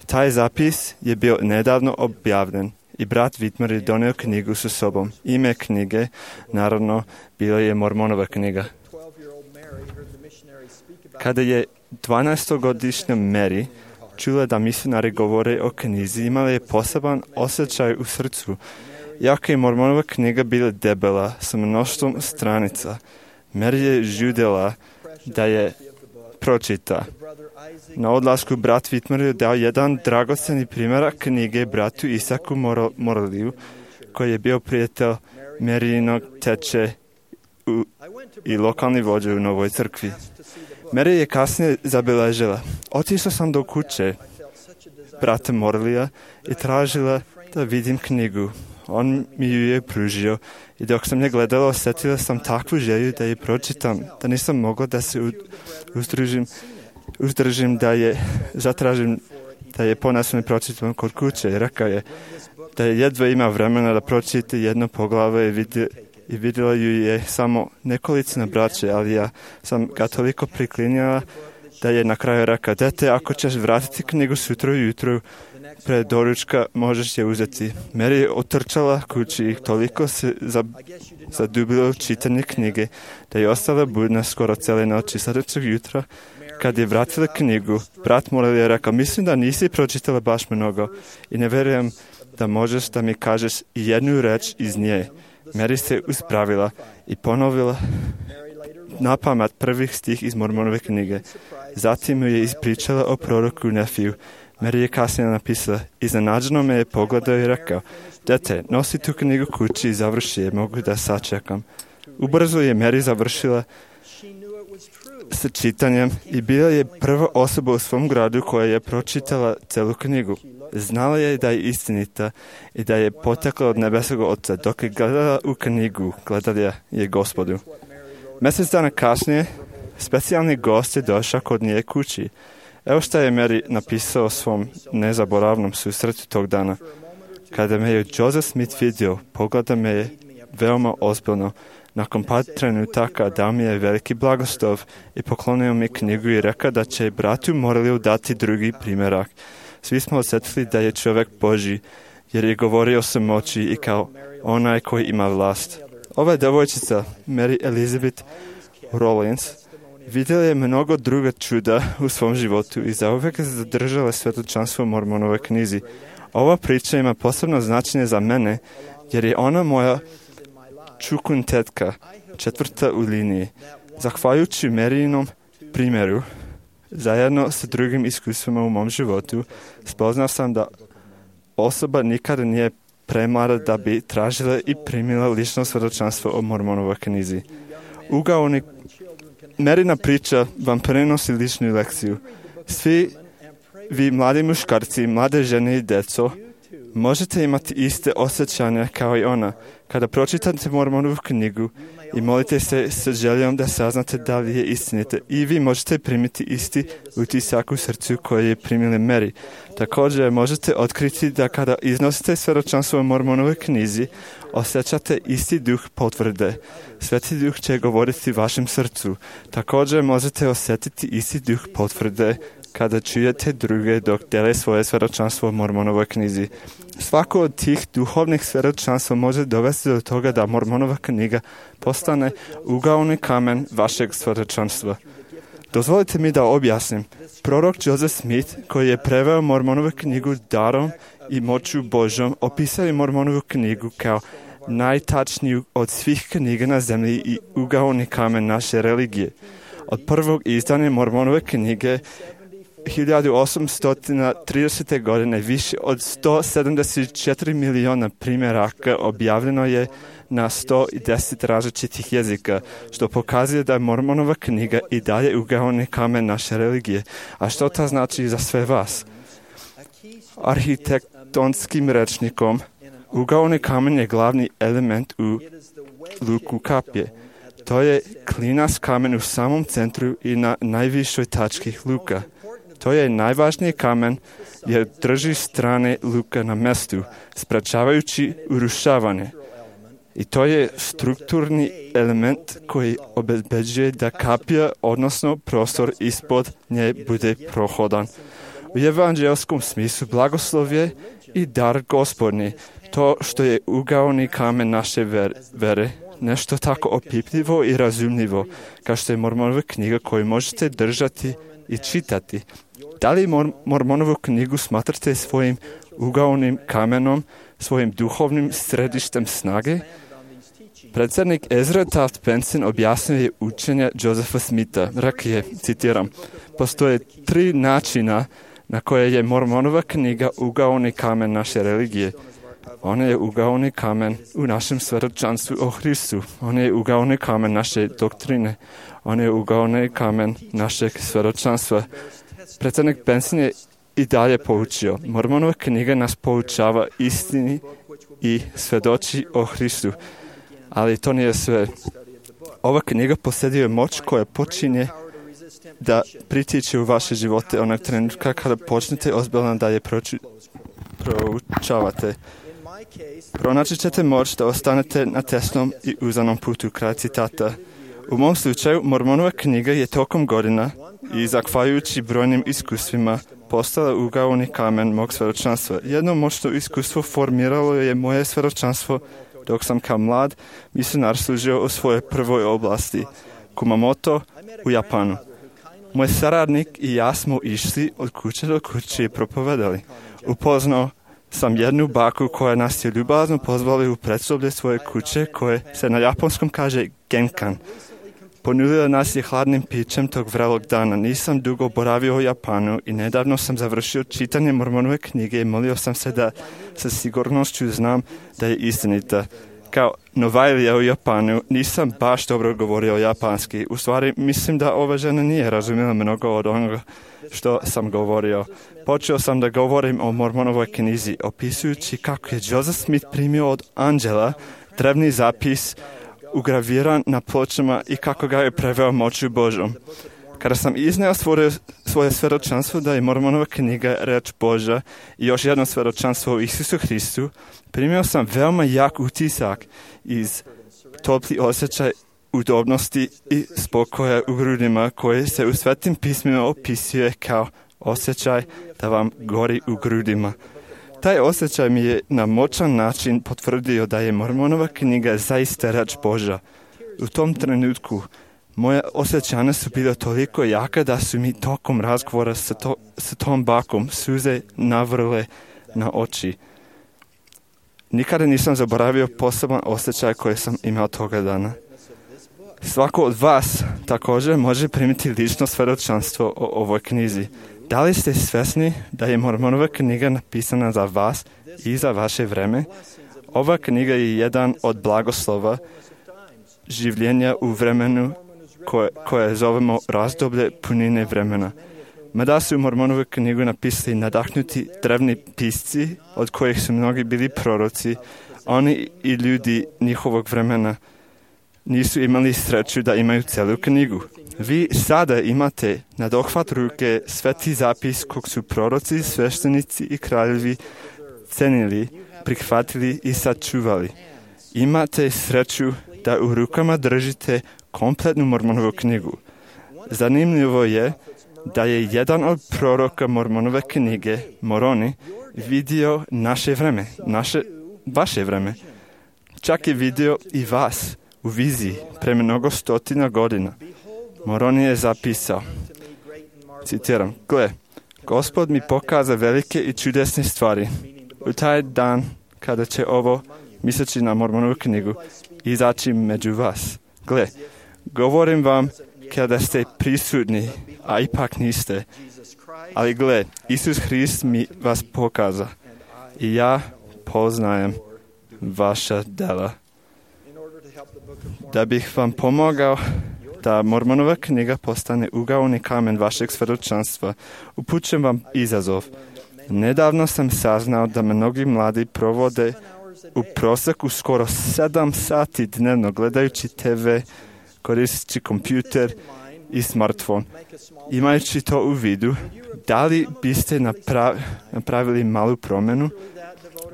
Taj zapis je bio nedavno objavljen i brat Whitmer je donio knjigu sa sobom. Ime knjige, naravno, bila je Mormonova knjiga. Kada je 12-godišnja Mary čula da misionari govore o knjizi, imala je poseban osjećaj u srcu. Iako je Mormonova knjiga bila debela sa mnoštvom stranica, Mary je žudela da je pročita. Na odlasku brat Whitmer je dao jedan dragoceni primjerak knjige bratu Isaku Morliju, koji je bio prijatelj Maryjinog teče i lokalni vođa u Novoj crkvi. Mary je kasnije zabeležila: otišla sam do kuće brata Morlija i tražila da vidim knjigu. On mi ju je pružio i dok sam je gledala, osjetila sam takvu želju da je pročitam, da nisam mogla da se uzdržim da je zatražim da je ponašno pročitam kod kuće. Rekao je da je jedva ima vremena da pročita jedno poglavlje i vidjela ju je samo nekolicina braće, ali ja sam ga toliko priklinjala da je na kraju rekao: dete, ako ćeš vratiti knjigu sutra ujutro pred doručka, možeš je uzeti. Mary je otrčala kući i toliko se zadubila u čitanje knjige da je ostala budna skoro cijele noći. Sljedećeg jutra, kad je vratila knjigu, brat Morley je rekao: mislim da nisi pročitala baš mnogo i ne vjerujem da možeš da mi kažeš i jednu reč iz nje. Mary se uspravila i ponovila napamet prvih stih iz Mormonove knjige. Zatim mu je ispričala o proroku Nefiju. Mary je kasnije napisala: iznenađeno me je pogledao i rekao: dete, nosi tu knjigu kući i završi je, mogu da sačekam. Ubrzo je Mary završila sa čitanjem i bila je prva osoba u svom gradu koja je pročitala celu knjigu. Znala je da je istinita i da je potekla od nebeskog Oca. Dok je gledala u knjigu, gledala je Gospodu. Mjesec dana kasnije, specijalni gost je došao kod nje kući. Evo što je Mary napisao o svom nezaboravnom susretu tog dana. Kada me je Joseph Smith vidio, pogleda me je veoma ozbiljno. Nakon par trenutaka dao mi je veliki blagoslov i poklonio mi knjigu i rekao da će bratu Morliju dati drugi primjerak. Svi smo osjetili da je čovjek Božji, jer je govorio sa moći i kao onaj koji ima vlast. Ova devojčica, Mary Elizabeth Rollins, vidjela je mnogo druga čuda u svom životu i zauvijek se zadržala svjedočanstvo u Mormonove knjizi. Ova priča ima posebno značenje za mene, jer je ona moja čukun tetka, četvrta u liniji. Zahvaljujući Maryjinom primjeru, zajedno sa drugim iskustvima u mom životu, spoznao sam da osoba nikada nije premlada da bi tražila i primila lično svjedočanstvo o Mormonovoj knjizi. Maryjina priča vam prenosi ličnu lekciju. Svi vi mladi muškarci, mlade žene i djeco, možete imati iste osjećanja kao i ona. Kada pročitate Mormonovu knjigu i molite se sa željom da saznate da li je istinite, i vi možete primiti isti utisak u srcu koji je primila Mary. Također možete otkriti da kada iznosite svjedočanstvo o Mormonovoj knjizi, osjećate isti duh potvrde. Sveti duh će govoriti vašem srcu. Također možete osjetiti isti duh potvrde kada čujete druge dok dele svoje svjedočanstvo o Mormonovoj knjizi. Svako od tih duhovnih svjedočanstva može dovesti do toga da Mormonova knjiga postane ugaoni kamen vašeg svjedočanstva. Dozvolite mi da objasnim. Prorok Joseph Smith, koji je preveo Mormonovu knjigu darom i moću Božom, opisao je Mormonovu knjigu kao najtačniju od svih knjiga na zemlji i ugaoni kamen naše religije. Od prvog izdanja Mormonove knjige 1830. godine više od 174 miliona primjeraka objavljeno je na 110 različitih jezika, što pokazuje da je Mormonova knjiga i dalje ugaoni kamen naše religije. A što to znači za sve vas? Arhitektonskim rečnikom, ugaoni kamen je glavni element u luku kapije. To je klinac kamen u samom centru i na najvišoj tački luka. To je najvažniji kamen jer drži strane luka na mjestu, sprečavajući urušavanje. I to je strukturni element koji obezbeđuje da kapija, odnosno prostor ispod nje, bude prohodan. U evanđelskom smislu blagoslov je i dar Gospodnji, to što je ugaoni kamen naše vere, nešto tako opipljivo i razumljivo, kao što je Mormonova knjiga koju možete držati i čitati. Da li Mormonovu knjigu smatrate svojim ugaonim kamenom, svojim duhovnim središtem snage? Predsjednik Ezra Taft Benson objasnio je učenje Josepha Smitha. Rekao je, citiram, postoje 3 načina na koje je Mormonova knjiga ugaoni kamen naše religije. Ona je ugaoni kamen u našem svjedočanstvu o Hristu. Ona je ugaoni kamen naše doktrine. Ona je ugaoni kamen našeg svjedočanstva. Predsjednik Benson je i dalje poučio. Mormonova knjiga nas poučava istini i svjedoči o Hristu. Ali to nije sve. Ova knjiga posjeduje moć koja počinje da pritiče u vaše živote onog trenutka kada počnete ozbiljno da je proučavate. Pronaći ćete moć da ostanete na tesnom i uzanom putu. Kraj citata. U mom slučaju, Mormonova knjiga je tokom godina i zahvaljujući brojnim iskustvima postala ugaoni kamen mog svjedočanstva. Jedno moćno iskustvo formiralo je moje svjedočanstvo dok sam kao mlad misionar služio u svojoj prvoj oblasti, Kumamoto u Japanu. Moj saradnik i ja smo išli od kuće do kuće i propovedali. Upoznao sam jednu baku koja nas je ljubazno pozvali u predsoblje svoje kuće koje se na japonskom kaže genkan. Ponudila nas je hladnim pićem tog vrelog dana. Nisam dugo boravio u Japanu i nedavno sam završio čitanje Mormonove knjige i molio sam se da sa sigurnošću znam da je istinita. Kao novajlija u Japanu nisam baš dobro govorio japanski. U stvari mislim da ova žena nije razumjela mnogo od onoga što sam govorio. Počeo sam da govorim o Mormonovoj knjizi, opisujući kako je Joseph Smith primio od anđela drevni zapis ugraviran na pločama i kako ga je preveo moću Božom. Kada sam izneo svoje svjedočanstvo da je Mormonova knjiga reč Božja i još jedno svjedočanstvo o Isusu Hristu, primio sam veoma jak utisak iz topli osjećaj udobnosti i spokoja u grudima koje se u Svetim pismima opisuje kao osjećaj da vam gori u grudima. Taj osjećaj mi je na moćan način potvrdio da je Mormonova knjiga zaista reč Božja. U tom trenutku moje osjećanja su bile toliko jaka da su mi tokom razgovora sa tom bakom suze navrle na oči. Nikada nisam zaboravio poseban osjećaj koji sam imao toga dana. Svako od vas također može primiti lično svjedočanstvo o ovoj knjizi. Da li ste svjesni da je Mormonova knjiga napisana za vas i za vaše vreme? Ova knjiga je jedan od blagoslova življenja u vremenu koje zovemo razdoblje punine vremena. Mada su Mormonovu knjigu napisali nadahnuti drevni pisci, od kojih su mnogi bili proroci, oni i ljudi njihovog vremena nisu imali sreću da imaju celu knjigu. Vi sada imate na dohvat ruke sveti zapis kog su proroci, sveštenici i kraljevi cenili, prihvatili i sačuvali. Imate sreću da u rukama držite kompletnu Mormonovu knjigu. Zanimljivo je da je jedan od proroka Mormonove knjige, Moroni, vidio naše vreme, vaše vreme. Čak je vidio i vas u viziji pre mnogo stotina godina. Moroni je zapisao, citiram, gle, Gospod mi pokaza velike i čudesne stvari. U taj dan kada će ovo, misleći na Mormonovu knjigu, izaći među vas. Gle, govorim vam kada ste prisutni, a ipak niste. Ali gle, Isus Hrist mi vas pokaza i ja poznajem vaša dela. Da bih vam pomogao da Mormonova knjiga postane ugaoni kamen vašeg svjedočanstva, upućujem vam izazov. Nedavno sam saznao da mnogi mladi provode u prosjeku skoro 7 sati dnevno gledajući TV, koristeći kompjuter i smartfon. Imajući to u vidu, da li biste napravili malu promjenu?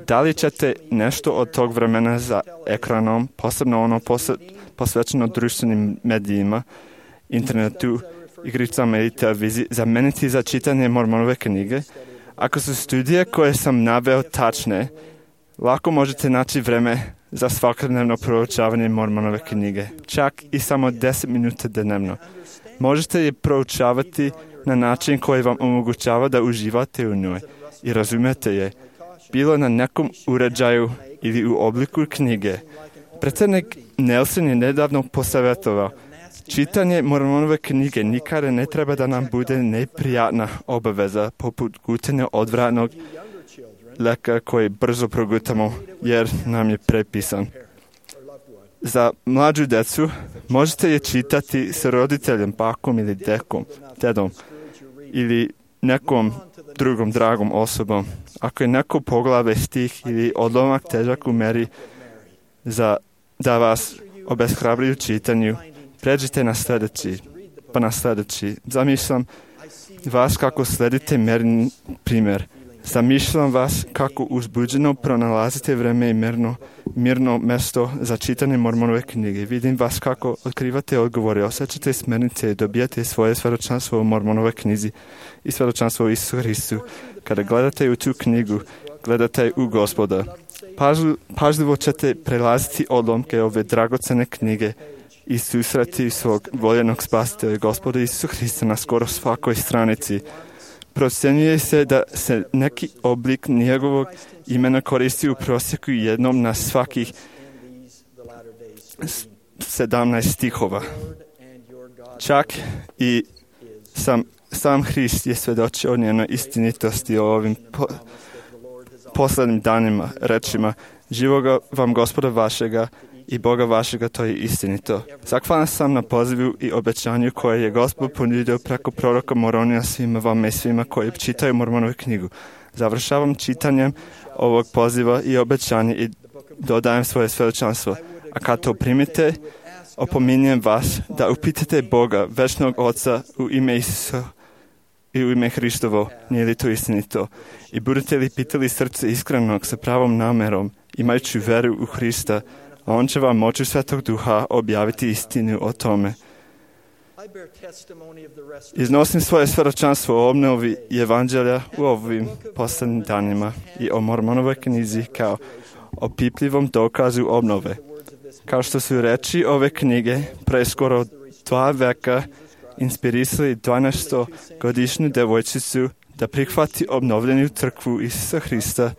Da li ćete nešto od tog vremena za ekranom, posebno ono posvećeno društvenim medijima, internetu, igricama i televiziji, zameniti za čitanje Mormonove knjige? Ako su studije koje sam naveo tačne, lako možete naći vreme za svakodnevno proučavanje Mormonove knjige, čak i samo 10 minuta dnevno. Možete je proučavati na način koji vam omogućava da uživate u njoj i razumete je, bilo na nekom uređaju ili u obliku knjige. Predsjednik Nelson je nedavno posavjetovao, čitanje Mormonove knjige nikada ne treba da nam bude neprijatna obaveza poput gutanja odvratnog lijeka koji brzo progutamo jer nam je prepisan. Za mlađu djecu možete je čitati s roditeljem, bakom ili dedom ili nekom drugom dragom osobom. Ako je neko poglavlje, stih ili odlomak težak u meri da vas obeshrabri u čitanju, pređite na sljedeći. Zamišljam vas kako sledite Merin primjer. Zamišljam vas kako uzbuđeno pronalazite vreme i mirno mjesto za čitanje Mormonove knjige. Vidim vas kako otkrivate odgovore, osjećate smernice i dobijate svoje svjedočanstvo u Mormonove knjizi i svjedočanstvo u Isusu Hristu. Kada gledate u tu knjigu, gledate u Gospoda. Pažljivo ćete prelaziti odlomke ove dragocene knjige i susreti svog voljenog spasitelja Gospoda Isusa Hrista na skoro svakoj stranici. Procjenjuje se da se neki oblik njegovog imena koristi u prosjeku jednom na svakih 17 stihova. Čak i sam Hrist je svjedočio o njenoj istinitosti o ovim posljednim danima, rečima, živoga vam Gospoda vašega i Boga vašega, to je istinito. Zahvalan sam na pozivu i obećanju koje je Gospod ponudio preko proroka Moronija svima vama i svima koji čitaju Mormonovu knjigu. Završavam čitanjem ovog poziva i obećanja i dodajem svoje svjedočanstvo. A kad to primite, opominjem vas da upitate Boga, večnog Oca, u ime Isusa i u ime Hristovo, nije li to istinito? I budete li pitali srce iskrenog sa pravom namerom, imajući veru u Hrista, a on će vam moću Svetog Duha objaviti istinu o tome. Iznosim svoje svjedočanstvo o obnovi evanđelja u ovim posljednjim danima i o Mormonovoj knjizi kao o pipljivom dokazu obnove. Kao što su reči ove knjige pre skoro 2 veka inspirisali 12-godišnju devojčicu da prihvati obnovljenu crkvu Isusa Hrista,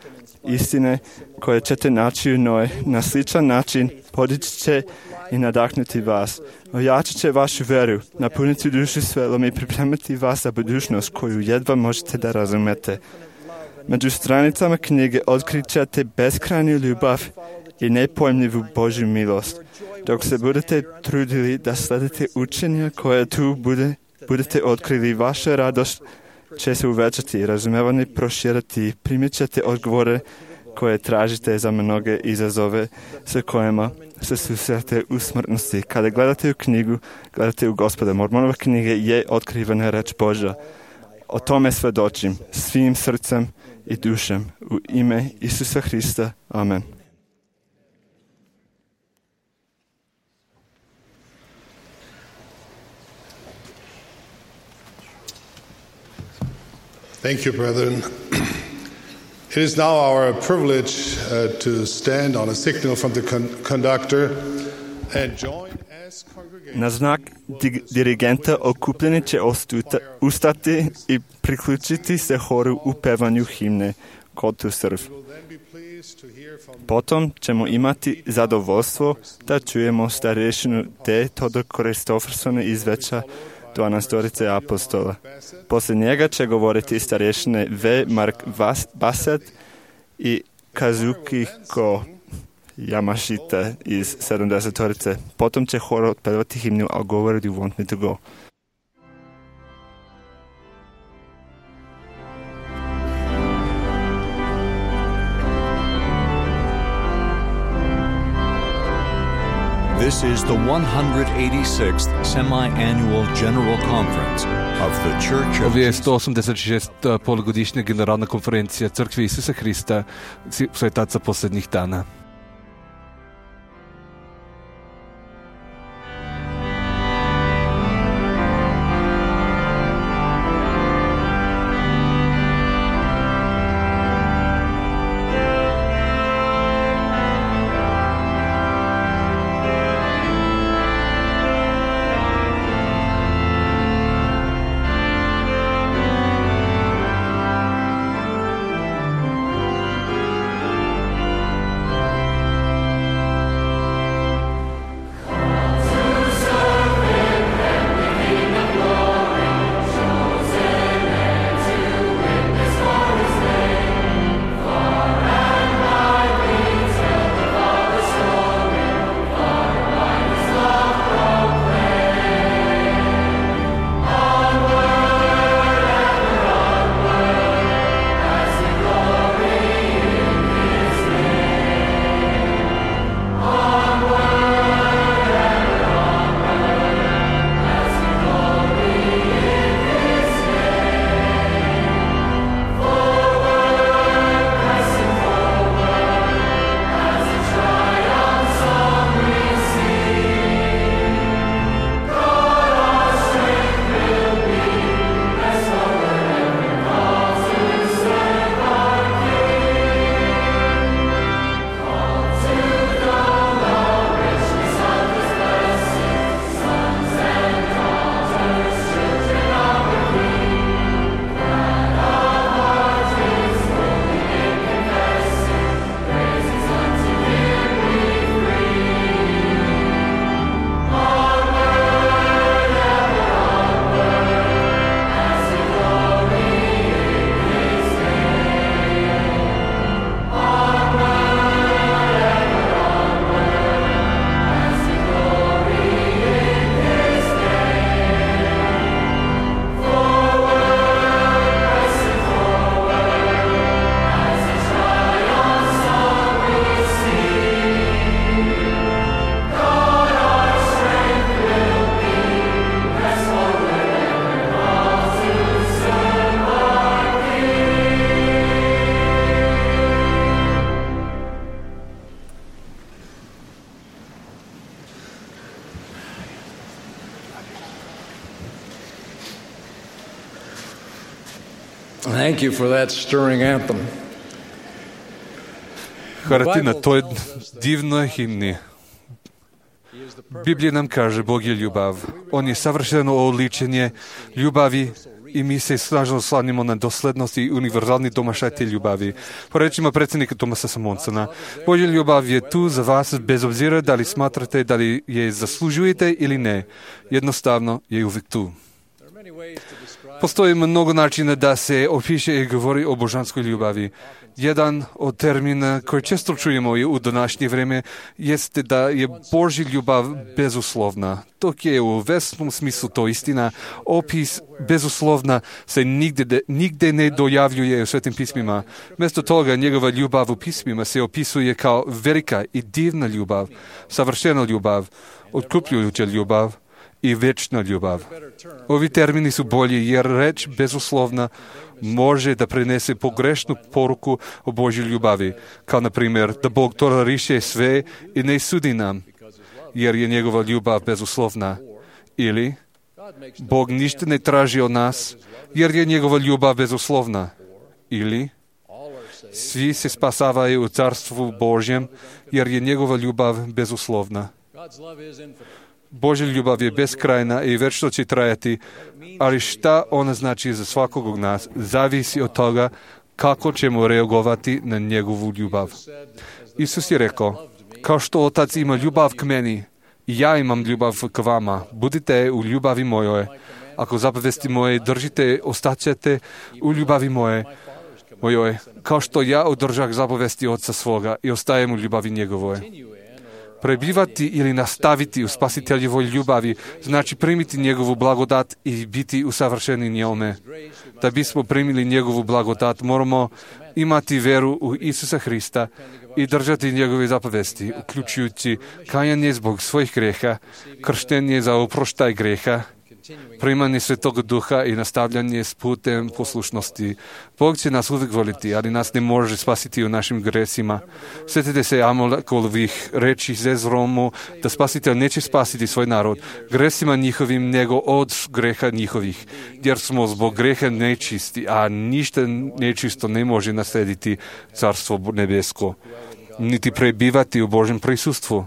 istine koje ćete naći u njoj, na sličan način podići će i nadahnuti vas. Ojačit će vašu veru, napuniti dušu svelom i pripremiti vas za budućnost koju jedva možete da razumete. Među stranicama knjige otkrit ćete beskrajnu ljubav i nepojmljivu Božju milost. Dok se budete trudili da sledite učenja koje tu budete otkrili, vaša radost će se uvećati i razumevanje proširati. Primit ćete odgovore koje tražite za mnoge izazove sa kojima se susrete u smrtnosti. Kada gledate u knjigu, gledate u Gospoda. Mormonova knjiga je otkrivena reč Božja. O tome svedočim svim srcem i dušem u ime Isusa Hrista. Amen. Thank you, brethren. It is now our privilege to stand on a signal from the conductor and join as congregation. Na znak dirigenta okupljeni će ustati i priključiti se horu u pevanju himne. kod tu srv. Potom ćemo imati zadovoljstvo da čujemo starješinu D. Todor Kristoffersona iz Veća 12 apostola. Poslije njega će govoriti starješine V. Mark Bassett i Kazuhiko Yamashita iz 70. Potom će hor otpevati himnu I'll go where you want me to go. This is the 186th semi-annual General Conference of the Church of Ovo je 186. polugodišnja generalna konferencija Crkve Isusa Hrista, svetaca posljednjih dana. Thank you for that stirring anthem. Hvala ti na toj divnoj himni. Biblija nam kaže, Bog je ljubav. On je savršeno oličenje ljubavi i mi se snažno slanimo na doslednost i univerzalni domašaj te ljubavi. Po rečima predsjednika Thomasa Monsona, Božja ljubav je tu za vas bez obzira da li smatrate da li je zaslužujete ili ne. Jednostavno je uvijek tu. Postoji mnogo načina da se opiše i govori o božanskoj ljubavi. Jedan od termina koji često čujemo u današnje vrijeme jeste da je Božja ljubav bezuslovna. Dok je u vesnom smislu to istina, opis bezuslovna se nigde ne dojavljuje u Svetim pismima. Mjesto toga njegova ljubav u pismima se opisuje kao velika i divna ljubav, savršena ljubav, otkupljujuća ljubav i večna ljubav. Ovi termini su bolji jer reč bezuslovna može da prenese pogrešnu poruku o Božjoj ljubavi, kao na primjer da Bog toleriše sve i ne sudi nam, jer je njegova ljubav bezuslovna. Ili Bog ništa ne traži od nas, jer je njegova ljubav bezuslovna. Ili svi se spasavaju u carstvu Božjem, jer je njegova ljubav bezuslovna. Božja ljubav je beskrajna i večno će trajati, ali šta ona znači za svakog od nas, zavisi od toga kako ćemo reagovati na njegovu ljubav. Isus je rekao, kao što Otac ima ljubav k meni, i ja imam ljubav k vama. Budite u ljubavi mojoj. Ako zapovesti moje držite, ostaćete u ljubavi mojoj. Kao što ja održah zapovesti Oca svoga i ostajem u ljubavi njegovoj. Prebivati ili nastaviti u spasiteljevoj ljubavi znači primiti njegovu blagodat i biti usavršeni njome. Da bismo primili njegovu blagodat, moramo imati veru u Isusa Hrista i držati njegove zapovesti, uključujući kajanje zbog svojih greha, krštenje za oproštaj greha, primanje Svetog Duha i nastavljanje s putem poslušnosti. Bog će nas uvijek voliti, ali nas ne može spasiti u našim gresima. Sjetite se Amolekovih reči Zezromu da spasitelj neće spasiti svoj narod gresima njihovim, nego od greha njihovih, jer smo zbog greha nečisti, a ništa nečisto ne može naslediti Carstvo nebesko, niti prebivati u Božjem prisustvu.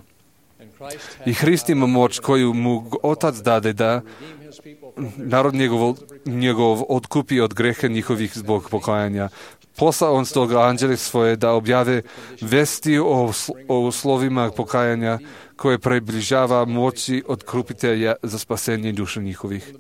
I Hrist ima moć koju mu Otac dade da narod njegov odkupi od greha njihovih zbog pokajanja. Poslao on stoga anđele svoje da objave vesti o slovima pokajanja koje približava moći odkupitelja za spasenje duša njihovih.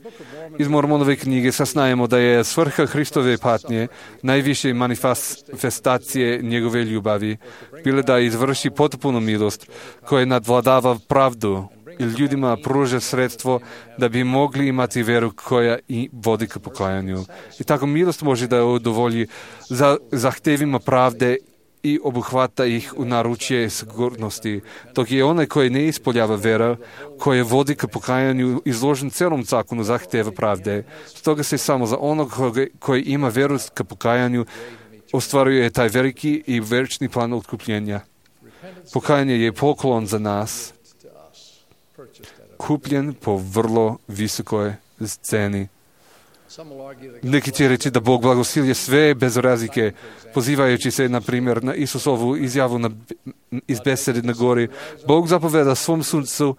Iz Mormonove knjige saznajemo da je svrha Hristove patnje najviše manifestacije njegove ljubavi bila da izvrši potpunu milost koja nadvladava pravdu i ljudima pruža sredstvo da bi mogli imati veru koja i vodi ka pokajanju. I tako milost može da udovolji za zahtevima pravde i obuhvata ih u naručje sigurnosti, dok je onaj koji ne ispoljava vera, koje vodi ka pokajanju, izložen celom zakonu zahteva pravde. Stoga se samo za onog koji ima veru ka pokajanju ostvaruje taj veliki i večni plan otkupljenja. Pokajanje je poklon za nas, kupljen po vrlo visokoj ceni. Neki će reći da Bog blagosilje sve bez razlike, pozivajući se, na primjer, na Isusovu izjavu iz besede na gori. Bog zapoveda svom suncu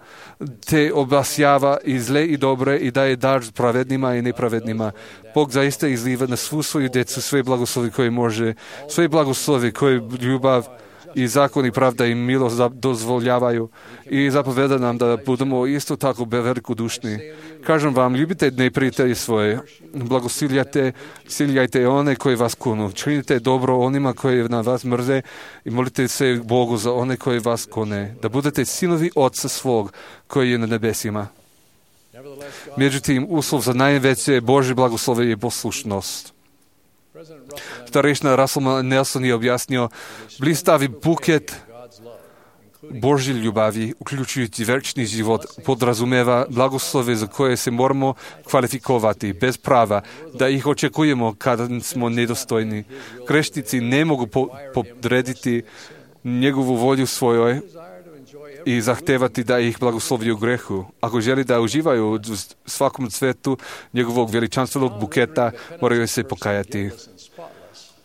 te obasjava i zle i dobre i daje dar pravednima i nepravednima. Bog zaista izliva na svu svoju djecu sve blagoslovi koje može, sve blagoslovi koje ljubav i zakon i pravda i milost dozvoljavaju i zapoveda nam da budemo isto tako velikodušni. Kažem vam, ljubite neprijatelje svoje, blagosiljajte one koji vas kunu, činite dobro onima koji na vas mrze i molite se Bogu za one koji vas kune, da budete sinovi Otca svog koji je na nebesima. Međutim, uslov za najveće Božje blagoslove je poslušnost. Starešina Russell Nelson je objasnio, blistavi buket Božje ljubavi, uključujući večni život, podrazumeva blagoslove za koje se moramo kvalifikovati bez prava, da ih očekujemo kada smo nedostojni. Grešnici ne mogu podrediti njegovu volju svojoj i zahtevati da ih blagoslovi u grehu. Ako želi da uživaju u svakom cvetu njegovog veličanstvenog buketa, moraju se pokajati.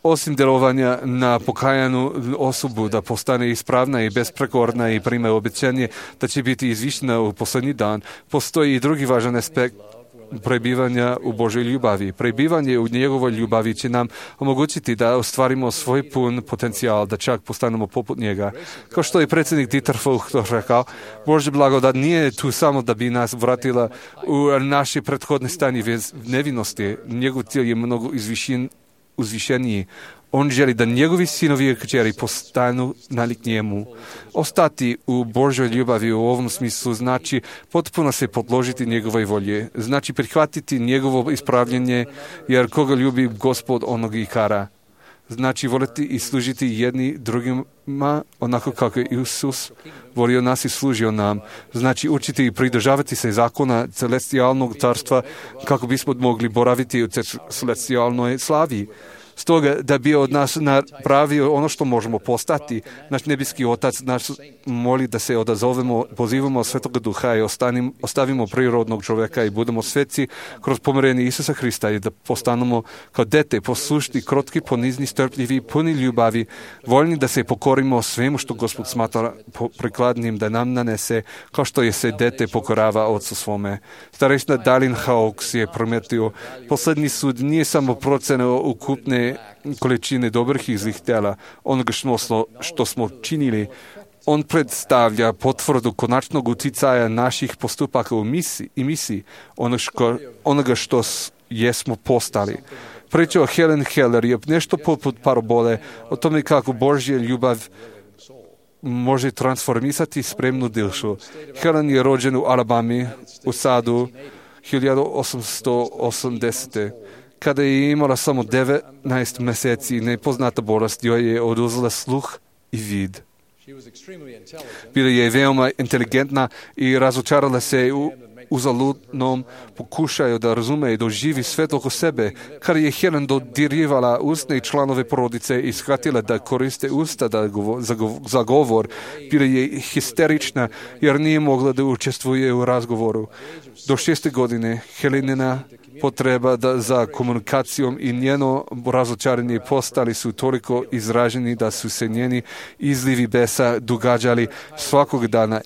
Osim djelovanja na pokajanu osobu da postane ispravna i besprekorna i prima obećanje da će biti izvišena u posljednji dan, postoji i drugi važan aspekt prebivanja u Božoj ljubavi. Prebivanje u njegovoj ljubavi će nam omogućiti da ostvarimo svoj pun potencijal, da čak postanemo poput njega. Kao što je predsjednik Dieter Vogt rekao, Božja blagodat nije tu samo da bi nas vratila u naše prethodne stanje nevinosti. Njegov cilj je mnogo uzvišeniji. On želi da njegovi sinovi i kćeri postanu nalik njemu. Ostati u Božoj ljubavi u ovom smislu znači potpuno se podložiti njegovoj volje. Znači prihvatiti njegovo ispravljanje, jer koga ljubi Gospod onog i kara. Znači voliti i služiti jedni drugima onako kako je Isus volio nas i služio nam. Znači učiti i pridržavati se zakona celestijalnog carstva kako bismo mogli boraviti u celestijalnoj slavi. Stoga, da bi od nas napravio ono što možemo postati, naš nebeski Otac nas moli da se odazovemo, pozivamo Svetoga Duha i ostavimo prirodnog čovjeka i budemo sveci kroz pomirenje Isusa Hrista i da postanemo kao dete, poslušni, krotki, ponizni, strpljivi, puni ljubavi, voljni da se pokorimo svemu što Gospod smatra prikladnim da nam nanese, kao što je se dete pokorava Otcu svome. Starešina Dallin Hawkes je prometio, posljednji sud nije samo procena ukupne smanjenje količine dobrih i zlih dela, onoga što smo činili. On predstavlja potvrdu konačnog uticaja naših postupaka u misiji, onoga što jesmo postali. Priča o Helen Keller je nešto poput parabole o tome kako Božja ljubav može transformisati spremnu dušu. Helen je rođen u Alabami, u Sadu, 1880. Kada je imala samo 19 mjeseci, nepoznata bolest joj je oduzela sluh i vid. Bila je veoma inteligentna i razočarala se u uzaludnom pokušaju da razume i doživi svet oko sebe. Kada je Helen dodirivala usne članove porodice i shvatila da koriste usta za govor, bila je histerična jer nije mogla da učestvuje u razgovoru. Do 6. godine Helenina potreba za komunikacijom i njeno razočaranje postali su toliko izraženi da su se njeni izlivi besa događali svakog dana,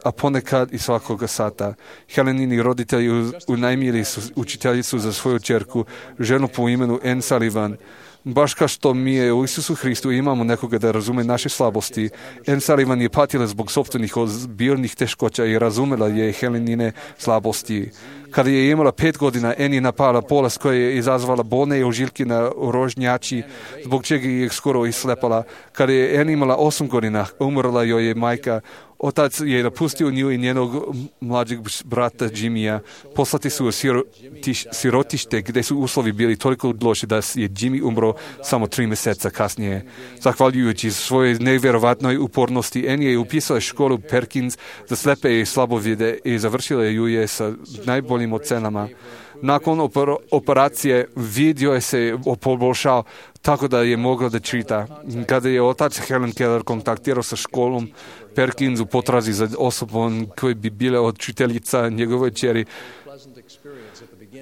a ponekad i svakog sata. Helenini roditelji unajmili su učiteljicu za svoju ćerku, ženu po imenu Anne Sullivan. Baš kao što mi je u Isusu Hristu imamo nekoga da razume naše slabosti, Anne Sullivan je patila zbog sopstvenih ozbiljnih teškoća i razumela je Helenine slabosti. Kada je imala 5 godina, Anne je napala bolest koja je izazvala bolne ožiljke na rožnjači, zbog čega je skoro islepala. Kada je Anne imala 8 godina, umrla joj je majka. Otac je napustio nju i njenog mlađeg brata Jimmya. Poslati su u sirotište gdje su uslovi bili toliko loši da je Jimmy umro samo 3 mjeseca kasnije. Zahvaljujući svojoj nevjerovatnoj upornosti, Anne je upisala školu Perkins za slepe i slabovide i završila ju je sa najboljim ocenama. Nakon operacije vid joj se poboljšao tako da je mogla da čita. Kada je otac Helen Keller kontaktirao sa školom Perkins u potrazi za osobom koji bi bila učiteljica njegove ćeri,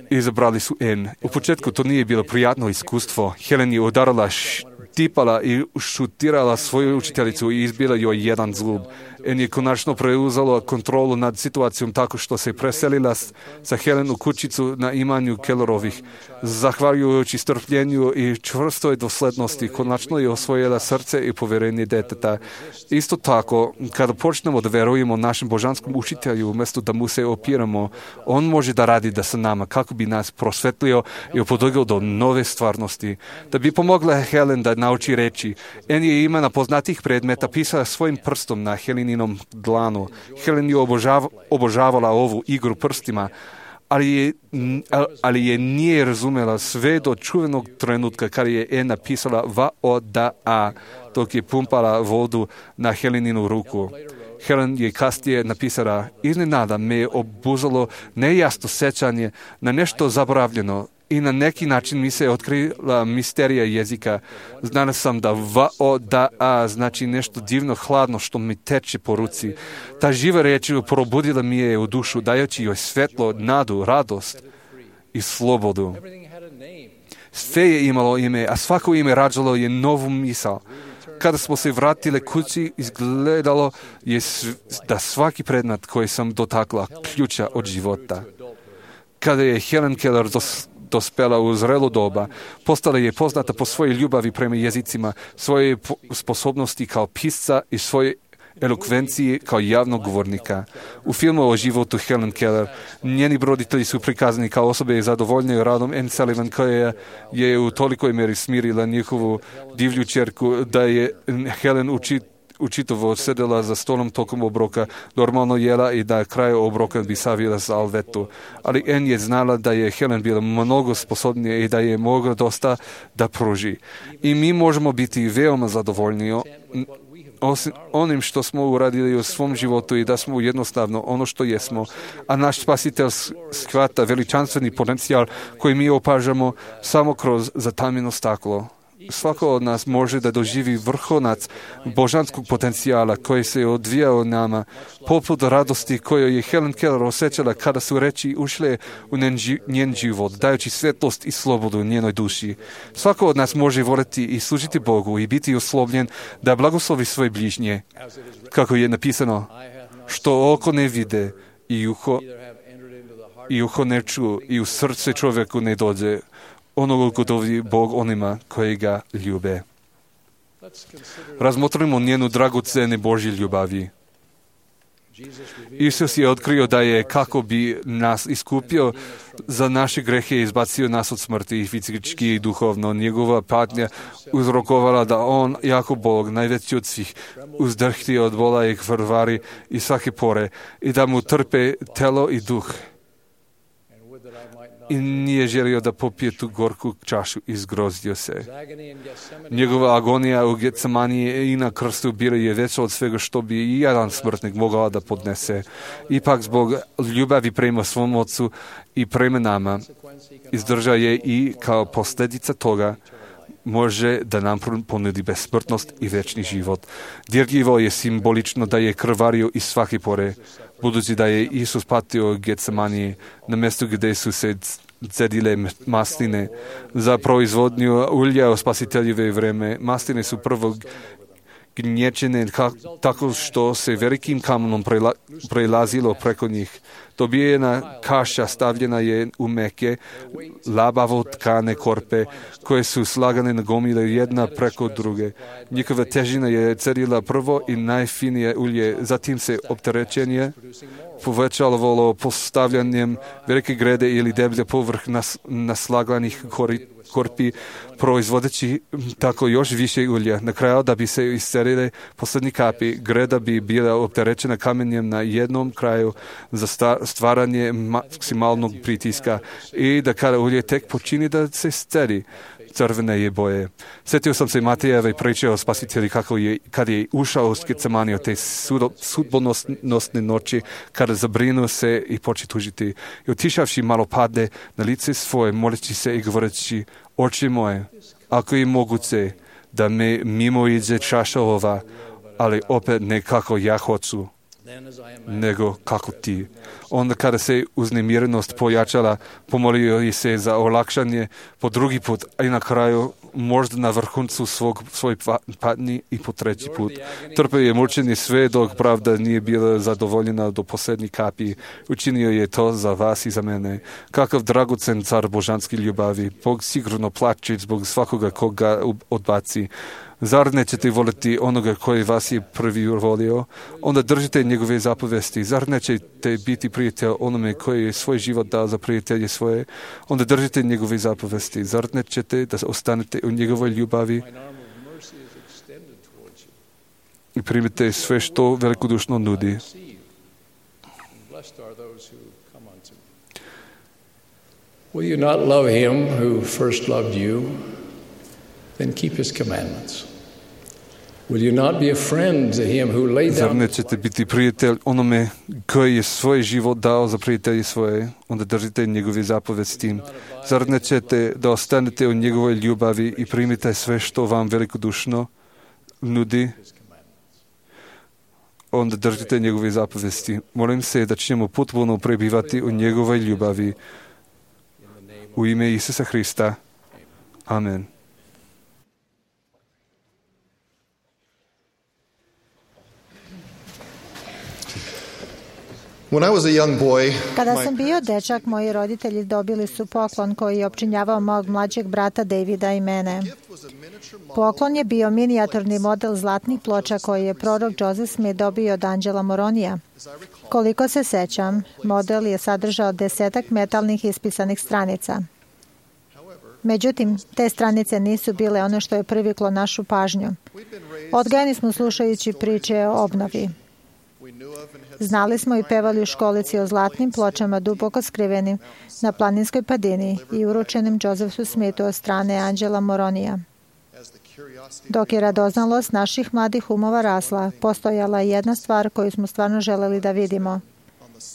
izabrali su Anne. U početku to nije bilo prijatno iskustvo. Helen je udarala, tipala i šutirala svoju učiteljicu i izbila joj jedan zlub. Anne je konačno preuzela kontrolu nad situacijom tako što se preselila sa Helen u kućicu na imanju Kellerovih. Zahvaljujući strpljenju i čvrstoj doslednosti, konačno je osvojila srce i povjerenje deteta. Isto tako, kada počnemo da verujemo našem božanskom učitelju, umjesto da mu se opiramo, on može da radi da sa nama kako bi nas prosvetlio i upododio do nove stvarnosti. Da bi pomogla Helen da nauči reći, Anne je imena poznatih predmeta pisala svojim prstom na Heleninom dlanu. Helen je obožavala ovu igru prstima, ali je nije razumela sve do čuvenog trenutka kada je Anne napisala VODA, dok je pumpala vodu na Heleninu ruku. Helen je kasnije napisala, iznenada me je obuzalo nejasno sećanje na nešto zaboravljeno i na neki način mi se otkrila misterija jezika. Znala sam da VODA znači nešto divno hladno što mi teče po ruci. Ta živa reč probudila mi je u dušu, dajući joj svetlo, nadu, radost i slobodu. Sve je imalo ime, a svako ime rađalo je novu misao. Kada smo se vratili kući, izgledalo je da svaki predmet koji sam dotakla ključa od života. Kada je Helen Keller dospela u zrelo doba, postala je poznata po svojoj ljubavi prema jezicima, svoje sposobnosti kao pisca i svoje elokvenciji kao javnog govornika. U filmu o životu Helen Keller njeni roditelji su prikazani kao osobe zadovoljne radom Anne Sullivan, koja je u tolikoj meri smirila njihovu divlju ćerku da je Helen učitovo sedela za stolom tokom obroka, normalno jela i da kraju obroka bi savila za alvetu. Ali Anne je znala da je Helen bila mnogo sposobnija i da je mogla dosta da pruži. I mi možemo biti veoma zadovoljni onim što smo uradili u svom životu i da smo jednostavno ono što jesmo, a naš spasitelj shvata veličanstveni potencijal koji mi opažamo samo kroz zatamljeno staklo. Svako od nas može da doživi vrhunac božanskog potencijala koji se odvija u nama, poput radosti koju je Helen Keller osjećala kada su reči ušle u njen život, dajući svetlost i slobodu njenoj duši. Svako od nas može voliti i služiti Bogu i biti uslovljen da blagoslovi svoje bližnje, kako je napisano, što oko ne vide i uho ne ču i u srce čovjeku ne dođe, onoga gotovi Bog onima koji ga ljube. Razmotrimo njenu dragocene Božje ljubavi. Isus je otkrio da je kako bi nas iskupio za naše grehe i izbacio nas od smrti i fizički i duhovno. Njegova patnja uzrokovala da on, jako Bog, najveći od svih, uzdrhti od bola i krvari i svake pore i da mu trpe telo i duh. I nije želio da popije tu gorku čašu i zgrozio se. Njegova agonija u Getsemaniji i na krstu bila je veća od svega što bi i jedan smrtnik mogao da podnese. Ipak zbog ljubavi prema svom ocu i prema nama izdržao je i kao posljedica toga može da nam ponudi besmrtnost i večni život. Dirljivo je simbolično da je krvario iz svake pore, budući da je Isus patio u Getsemaniji, na mjestu gdje su se cedile masline za proizvodnju ulja u spasiteljeve vreme. Masline su prvo gnječene tako što se velikim kamenom prelazilo preko njih. Dobijena kaša stavljena je u meke, labavo tkane korpe, koje su slagane na gomile jedna preko druge. Njihova težina je cedila prvo i najfinije ulje, zatim se opterećenje povećavalo postavljanjem velike grede ili deblje povrh naslaganih korpi, proizvodeći tako još više ulja. Na kraju, da bi se iscerile posljednji kapi, greda bi bila opterećena kamenjem na jednom kraju za stvaranje maksimalnog pritiska i da kada ulje tek počini da se scedi, crvene je boje. Sjetio sam se Matejeve priče o spasitelji kad je ušao u Getsemaniju te sudbonosne noći, kada zabrinuo se i poče tužiti. I otišavši malo padne na lice svoje, moleći se i govoreći: Oče moje, ako je moguće da me mimo iđe čaša ova, ali opet ne kako ja hoću, nego kako ti. Onda kada se uznemirenost pojačala, pomolio je se za olakšanje po drugi put, a i na kraju možda na vrhuncu svoj patnji i po treći put. Trpeo je mučenje sve dok pravda nije bila zadovoljena do posljednje kapi. Učinio je to za vas i za mene. Kakav dragocen car božanski ljubavi. Bog sigurno plače zbog svakoga koga odbaci. Zar nećete voliti onoga koji vas je prvi volio? Onda držite njegove zapovesti. Zar nećete biti prijatelj onome koji je svoj život dao za prijatelje svoje? Onda držite njegove zapovesti. Zar nećete da ostanete u njegovoj ljubavi i primite sve što velikodušno nudi? Will you not love him who first loved you? Then keep his commandments. Will you not be a friend to him who laid down? Zar nećete biti prijatelj onome koji je svoj život dao za prijatelje svoje? Onda držite njegove zapovesti. Zar nećete da ostanete u njegovoj ljubavi i primite sve što vam velikodušno nudi? Onda držite njegove zapovesti. Molim se da ćemo potpuno prebivati u njegovoj ljubavi. U ime Isusa Hrista. Amen. Kada sam bio dečak, moji roditelji dobili su poklon koji je opčinjavao mog mlađeg brata Davida i mene. Poklon je bio minijaturni model zlatnih ploča koji je prorok Joseph Smith dobio od Angela Moronija. Koliko se sećam, model je sadržao 10 metalnih ispisanih stranica. Međutim, te stranice nisu bile ono što je priviklo našu pažnju. Odgajani smo slušajući priče o obnovi. Znali smo i pevali u školici o zlatnim pločama duboko skrivenim na planinskoj padini i uručenim Josephu Smithu od strane Angela Moronija. Dok je radoznalost naših mladih umova rasla, postojala je jedna stvar koju smo stvarno želeli da vidimo.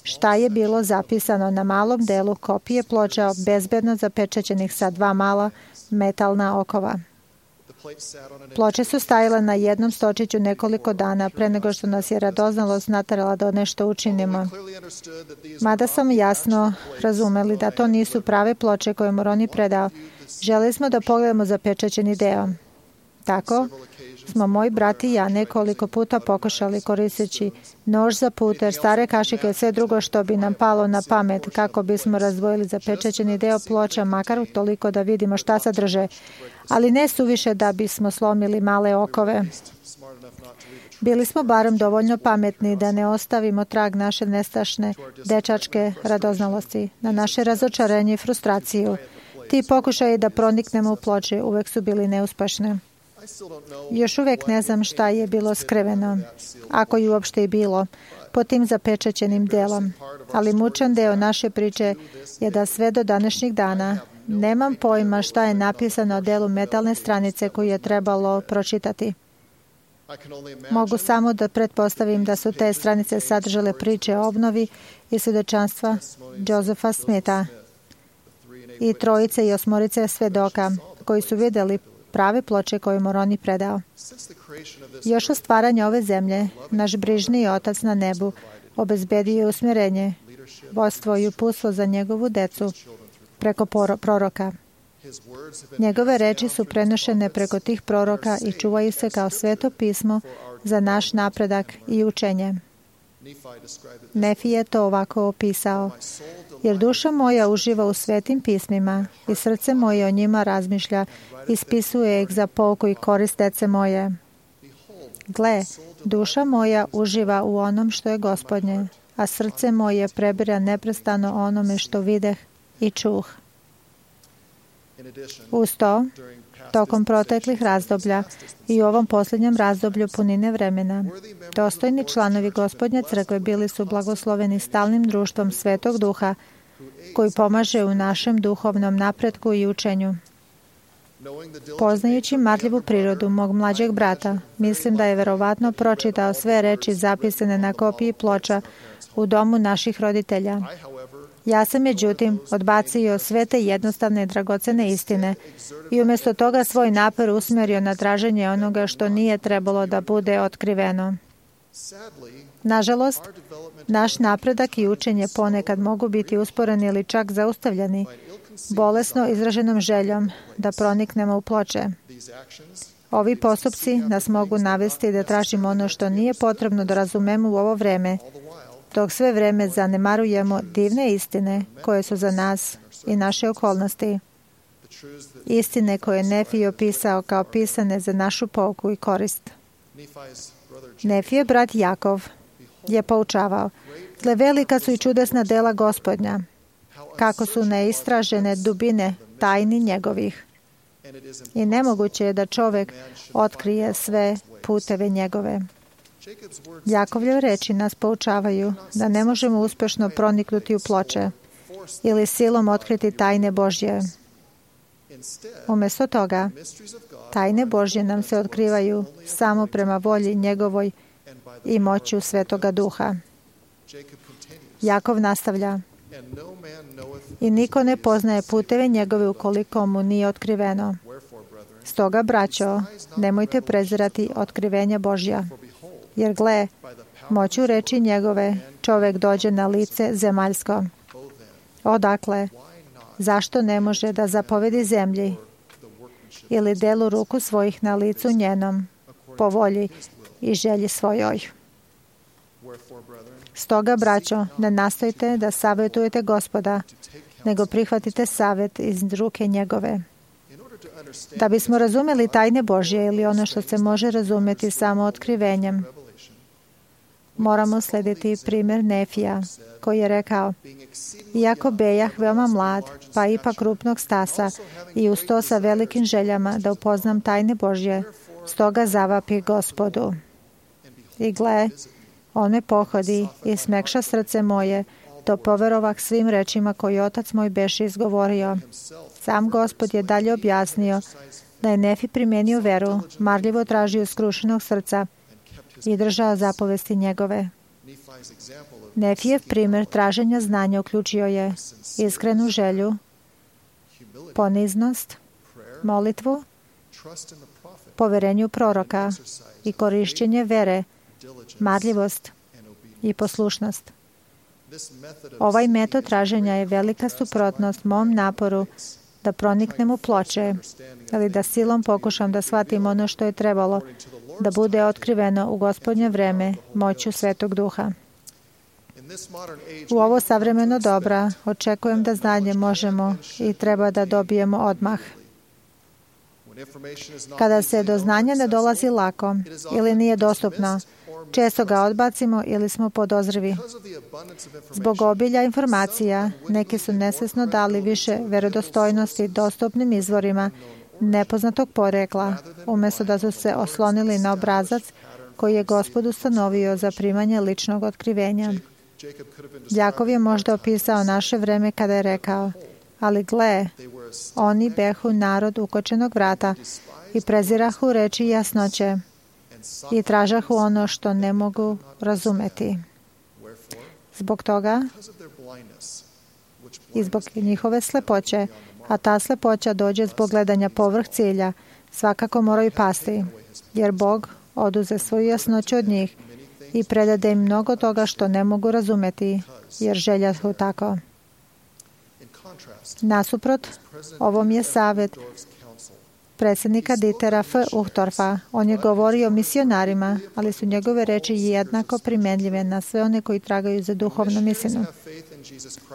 Šta je bilo zapisano na malom delu kopije ploča bezbedno zapečaćenih sa 2 mala metalna okova. Ploče su stajale na jednom stočiću nekoliko dana pre nego što nas je radoznalost naterala da nešto učinimo. Mada sam jasno razumeli da to nisu prave ploče koje Moroni predao, želeli smo da pogledamo zapečaćeni deo. Tako smo moj brat i ja nekoliko puta pokušali koristeći nož za puter, stare kašike i sve drugo što bi nam palo na pamet kako bismo razdvojili zapečaćeni deo ploča, makar toliko da vidimo šta sadrže, ali ne suviše da bismo slomili male okove. Bili smo barem dovoljno pametni da ne ostavimo trag naše nestašne dečačke radoznalosti, na naše razočarenje i frustraciju. Ti pokušaji da proniknemo u ploče uvek su bili neuspešne. Još uvek ne znam šta je bilo skriveno, ako je uopšte i bilo, pod tim zapečaćenim delom. Ali mučan deo naše priče je da sve do današnjeg dana nemam pojma šta je napisano o delu metalne stranice koju je trebalo pročitati. Mogu samo da pretpostavim da su te stranice sadržale priče o obnovi i svedočanstva Josepha Smitha i trojice i osmorice svedoka koji su vidjeli prave ploče koje Moroni predao. Još od stvaranja ove zemlje, naš brižni Otac na nebu obezbedio je usmjerenje, vodstvo i uputstvo za njegovu decu preko proroka. Njegove reči su prenošene preko tih proroka i čuvaju se kao sveto pismo za naš napredak i učenje. Nefi je to ovako opisao: jer duša moja uživa u svetim pismima i srce moje o njima razmišlja, ispisuje ih za pouku i korist dece moje. Gle, duša moja uživa u onom što je Gospodnje, a srce moje prebira neprestano onome što videh i čuh. Uz to, tokom proteklih razdoblja i u ovom posljednjem razdoblju punine vremena, dostojni članovi Gospodnje crkve bili su blagosloveni stalnim društvom Svetog Duha, koji pomaže u našem duhovnom napretku i učenju. Poznajući marljivu prirodu mog mlađeg brata, mislim da je verovatno pročitao sve reči zapisane na kopiji ploča u domu naših roditelja. Ja sam, međutim, odbacio sve te jednostavne i dragocene istine i umjesto toga svoj napor usmjerio na traženje onoga što nije trebalo da bude otkriveno. Nažalost, naš napredak i učenje ponekad mogu biti usporeni ili čak zaustavljeni bolesno izraženom željom da proniknemo u ploče. Ovi postupci nas mogu navesti da tražimo ono što nije potrebno da razumemo u ovo vreme, dok sve vreme zanemarujemo divne istine koje su za nas i naše okolnosti. Istine koje je Nefi opisao kao pisane za našu pouku i korist. Nefijev brat Jakov je poučavao: gle, velika su i čudesna dela Gospodnja, kako su neistražene dubine tajni njegovih. I nemoguće je da čovjek otkrije sve puteve njegove. Jakovljev reči nas poučavaju da ne možemo uspješno proniknuti u ploče ili silom otkriti tajne Božje. Umjesto toga, tajne Božje nam se otkrivaju samo prema volji njegovoj i moću Svetoga Duha. Jakov nastavlja: i niko ne poznaje puteve njegove ukoliko mu nije otkriveno. Stoga, braćo, nemojte prezirati otkrivenja Božja, jer gle, moću reči njegove čovjek dođe na lice zemaljsko. Odakle, zašto ne može da zapovedi zemlji ili delu ruku svojih na licu njenom, po volji i želji svojoj? Stoga, braćo, ne nastojte da savjetujete Gospoda, nego prihvatite savjet iz ruke njegove. Da bismo razumjeli tajne Božje ili ono što se može razumjeti samo otkrivenjem, moramo slediti primjer Nefija, koji je rekao: iako bejah veoma mlad, pa ipak krupnog stasa i uz to sa velikim željama da upoznam tajne Božje, stoga zavapih Gospodu. I gle, on me pohodi i smekša srce moje, to poverovah svim rečima koje Otac moj beše izgovorio. Sam Gospod je dalje objasnio da je Nefi primenio veru, marljivo tražio skrušenog srca i držao zapovesti njegove. Nefijev primjer traženja znanja uključio je iskrenu želju, poniznost, molitvu, poverenju proroka i korišćenje vere, marljivost i poslušnost. Ovaj metod traženja je velika suprotnost mom naporu da proniknem u ploče ili da silom pokušam da shvatim ono što je trebalo da bude otkriveno u Gospodnje vreme moću Svetog Duha. U ovo savremeno doba očekujem da znanje možemo i treba da dobijemo odmah. Kada se do znanja ne dolazi lako ili nije dostupno, često ga odbacimo ili smo podozrivi. Zbog obilja informacija, neki su nesvesno dali više verodostojnosti dostupnim izvorima nepoznatog porekla, umjesto da su se oslonili na obrazac koji je Gospod ustanovio za primanje ličnog otkrivenja. Jakov je možda opisao naše vreme kada je rekao: ali gle, oni behu narod ukočenog vrata i prezirahu reči jasnoće i tražahu ono što ne mogu razumeti. Zbog toga i zbog njihove slepoće, a ta slepoća dođe zbog gledanja povrh cilja, svakako moraju pasti, jer Bog oduze svoju jasnoću od njih i predade im mnogo toga što ne mogu razumeti, jer željahu tako. Nasuprot, ovom je savjet predsjednika Dietera F. Uchtdorfa. On je govorio o misionarima, ali su njegove reči jednako primenljive na sve one koji tragaju za duhovnom istinu.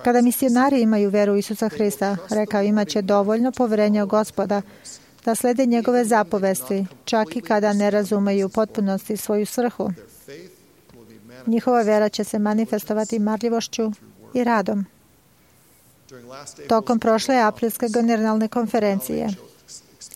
Kada misionari imaju veru u Isusa Hrista, rekao, imaće dovoljno poverenja u Gospoda da slede njegove zapovesti, čak i kada ne razumeju u potpunosti svoju svrhu. Njihova vera će se manifestovati marljivošću i radom. Tokom prošle aprilske generalne konferencije,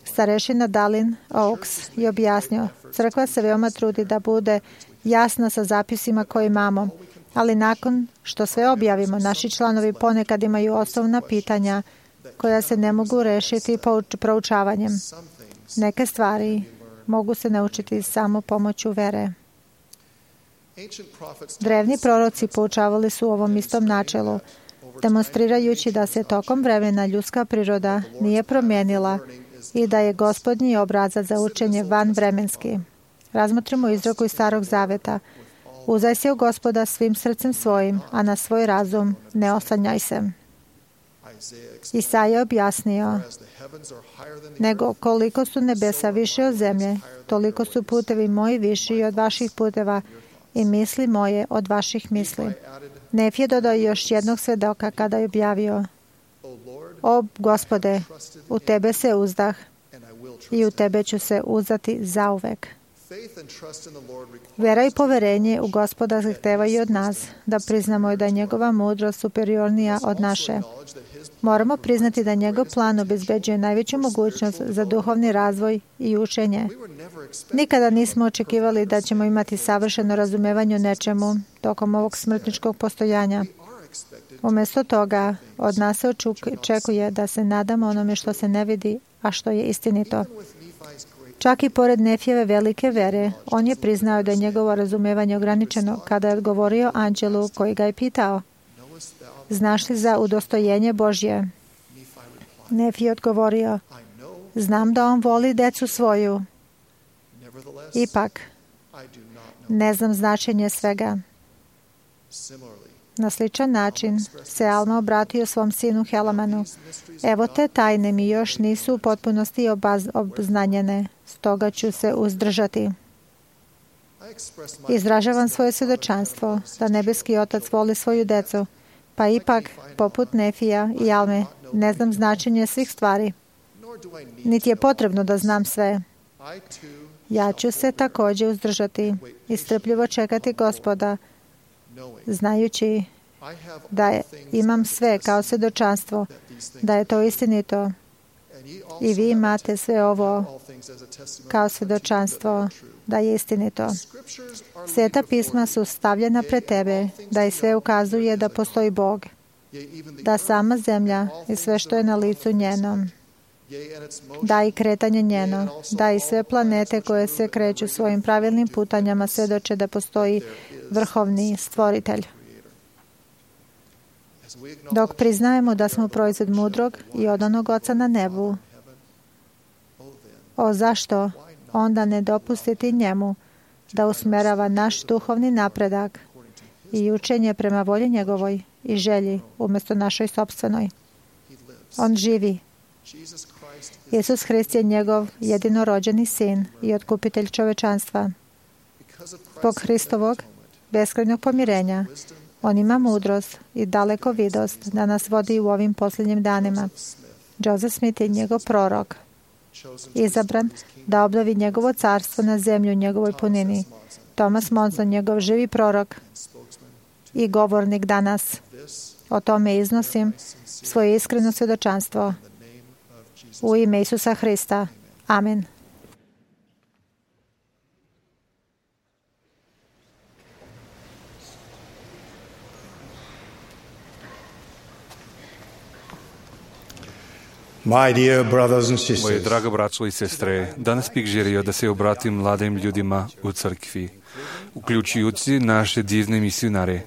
starešina Dallin Oaks je objasnio: crkva se veoma trudi da bude jasna sa zapisima koje imamo, ali nakon što sve objavimo, naši članovi ponekad imaju osnovna pitanja koja se ne mogu rešiti proučavanjem. Neke stvari mogu se naučiti samo pomoću vere. Drevni proroci poučavali su ovom istom načelu, demonstrirajući da se tokom vremena ljudska priroda nije promijenila i da je Gospodnji obrazac za učenje vanvremenski. Razmotrimo izreku iz Starog Zaveta: uzdaj se u Gospoda svim srcem svojim, a na svoj razum ne oslanjaj se. Isaija je objasnio: nego koliko su nebesa više od zemlje, toliko su putevi moji viši od vaših puteva i misli moje od vaših misli. Nef je dodao još jednog svedoka kada je objavio: o Gospode, u tebe se uzdah i u tebe ću se uzdati zauvek. Vera i poverenje u Gospoda zahtevaju od nas da priznamo da je njegova mudrost superiornija od naše. Moramo priznati da njegov plan obezbeđuje najveću mogućnost za duhovni razvoj i učenje. Nikada nismo očekivali da ćemo imati savršeno razumevanje o nečemu tokom ovog smrtničkog postojanja. Umjesto toga, od nas se očekuje da se nadamo onome što se ne vidi, a što je istinito. Čak i pored Nefijeve velike vere, on je priznao da je njegovo razumevanje ograničeno kada je odgovorio anđelu koji ga je pitao: znaš li za udostojenje Božje? Nefije odgovorio: znam da on voli decu svoju. Ipak, ne znam značenje svega. Na sličan način se Alma obratio svom sinu Helamanu: evo te tajne mi još nisu u potpunosti obznanjene, stoga ću se uzdržati. Izražavam svoje svjedočanstvo da nebeski Otac voli svoju decu, pa ipak, poput Nefija i Alme, ne znam značenje svih stvari. Niti je potrebno da znam sve. Ja ću se također uzdržati i strpljivo čekati Gospoda, znajući da imam sve kao svjedočanstvo, da je to istinito. I vi imate sve ovo kao svjedočanstvo da je istinito. Sveta pisma su stavljena pred tebe, da i sve ukazuje da postoji Bog, da sama zemlja i sve što je na licu njenom, da i kretanje njeno, da i sve planete koje se kreću svojim pravilnim putanjama svjedoče da postoji vrhovni stvoritelj. Dok priznajemo da smo proizvod mudrog i odanog Oca na nebu, zašto onda ne dopustiti njemu da usmerava naš duhovni napredak i učenje prema volji njegovoj i želji umjesto našoj sopstvenoj? On živi Isus Hrist je njegov jedinorođeni sin i otkupitelj čovečanstva. Zbog Hristovog beskrajnog pomirenja, on ima mudrost i dalekovidost da nas vodi u ovim posljednjim danima. Joseph Smith je njegov prorok, izabran da obnovi njegovo carstvo na zemlju u njegovoj punini. Thomas Monson, njegov živi prorok i govornik danas. O tome iznosim svoje iskreno svjedočanstvo u ime Isusa Hrista. Amen. Moje drago braćo i sestre, danas bih želio da se obratim mladim ljudima u crkvi, uključujući naše divne misionare.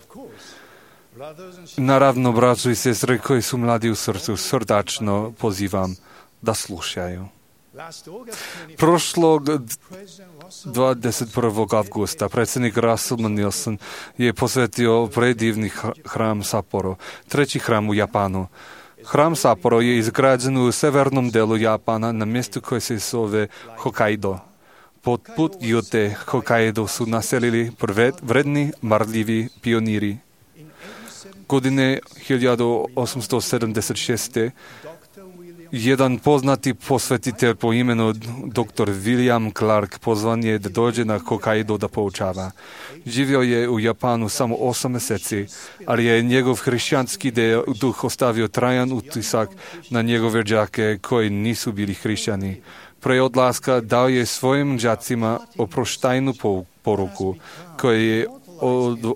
Naravno, braćo i sestre koji su mladi u srcu, srdačno pozivam da slušaju. Prošlog 21. avgusta predsjednik Russell Nilsson je posvetio predivni hram Sapporo, treći hram u Japanu. Hram Sapporo je izgrađen u severnom delu Japana na mjestu koje se zove Hokkaido. Poput Gyōte Hokkaido su naselili vredni, marljivi pioniri. Godine 1876. jedan poznati posvetitelj po imenu dr. William Clark pozvan je da dođe na Hokkaido da poučava. Živio je u Japanu samo 8 mjeseci, ali je njegov hrišćanski duh ostavio trajan utisak na njegove đake koji nisu bili hrišćani. Pre odlaska dao je svojim đacima oproštajnu poruku koja je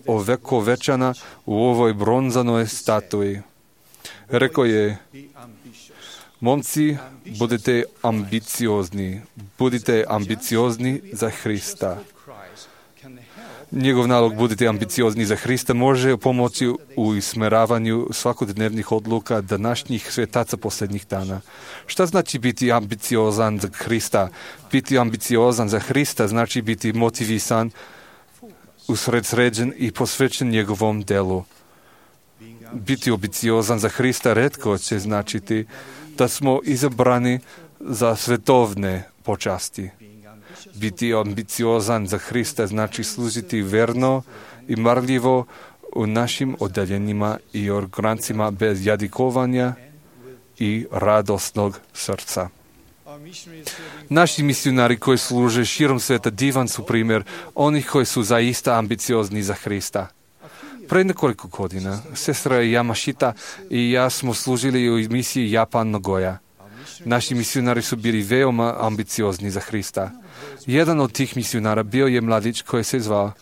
ovekovečana u ovoj bronzanoj statui. Rekao je: momci, budite ambiciozni za Hrista. Njegov nalog budite ambiciozni za Hrista može pomoći u usmjeravanju svakodnevnih odluka današnjih svjetaca posljednjih dana. Šta znači biti ambiciozan za Hrista? Biti ambiciozan za Hrista znači biti motivisan, usredsređen i posvećen njegovom delu. Biti ambiciozan za Hrista retko će značiti da smo izabrani za svetovne počasti. Biti ambiciozan za Hrista znači služiti verno i marljivo u našim odeljenjima i organcima bez jadikovanja i radosnog srca. Naši misionari koji služe širom sveta divan su primjer onih koji su zaista ambiciozni za Hrista. Pre nekoliko godina sestra Yamashita i ja smo služili u misiji Japan Nagoya. Naši misionari su bili veoma ambiciozni za Hrista. Jedan od tih misionara bio je mladić koji se zvao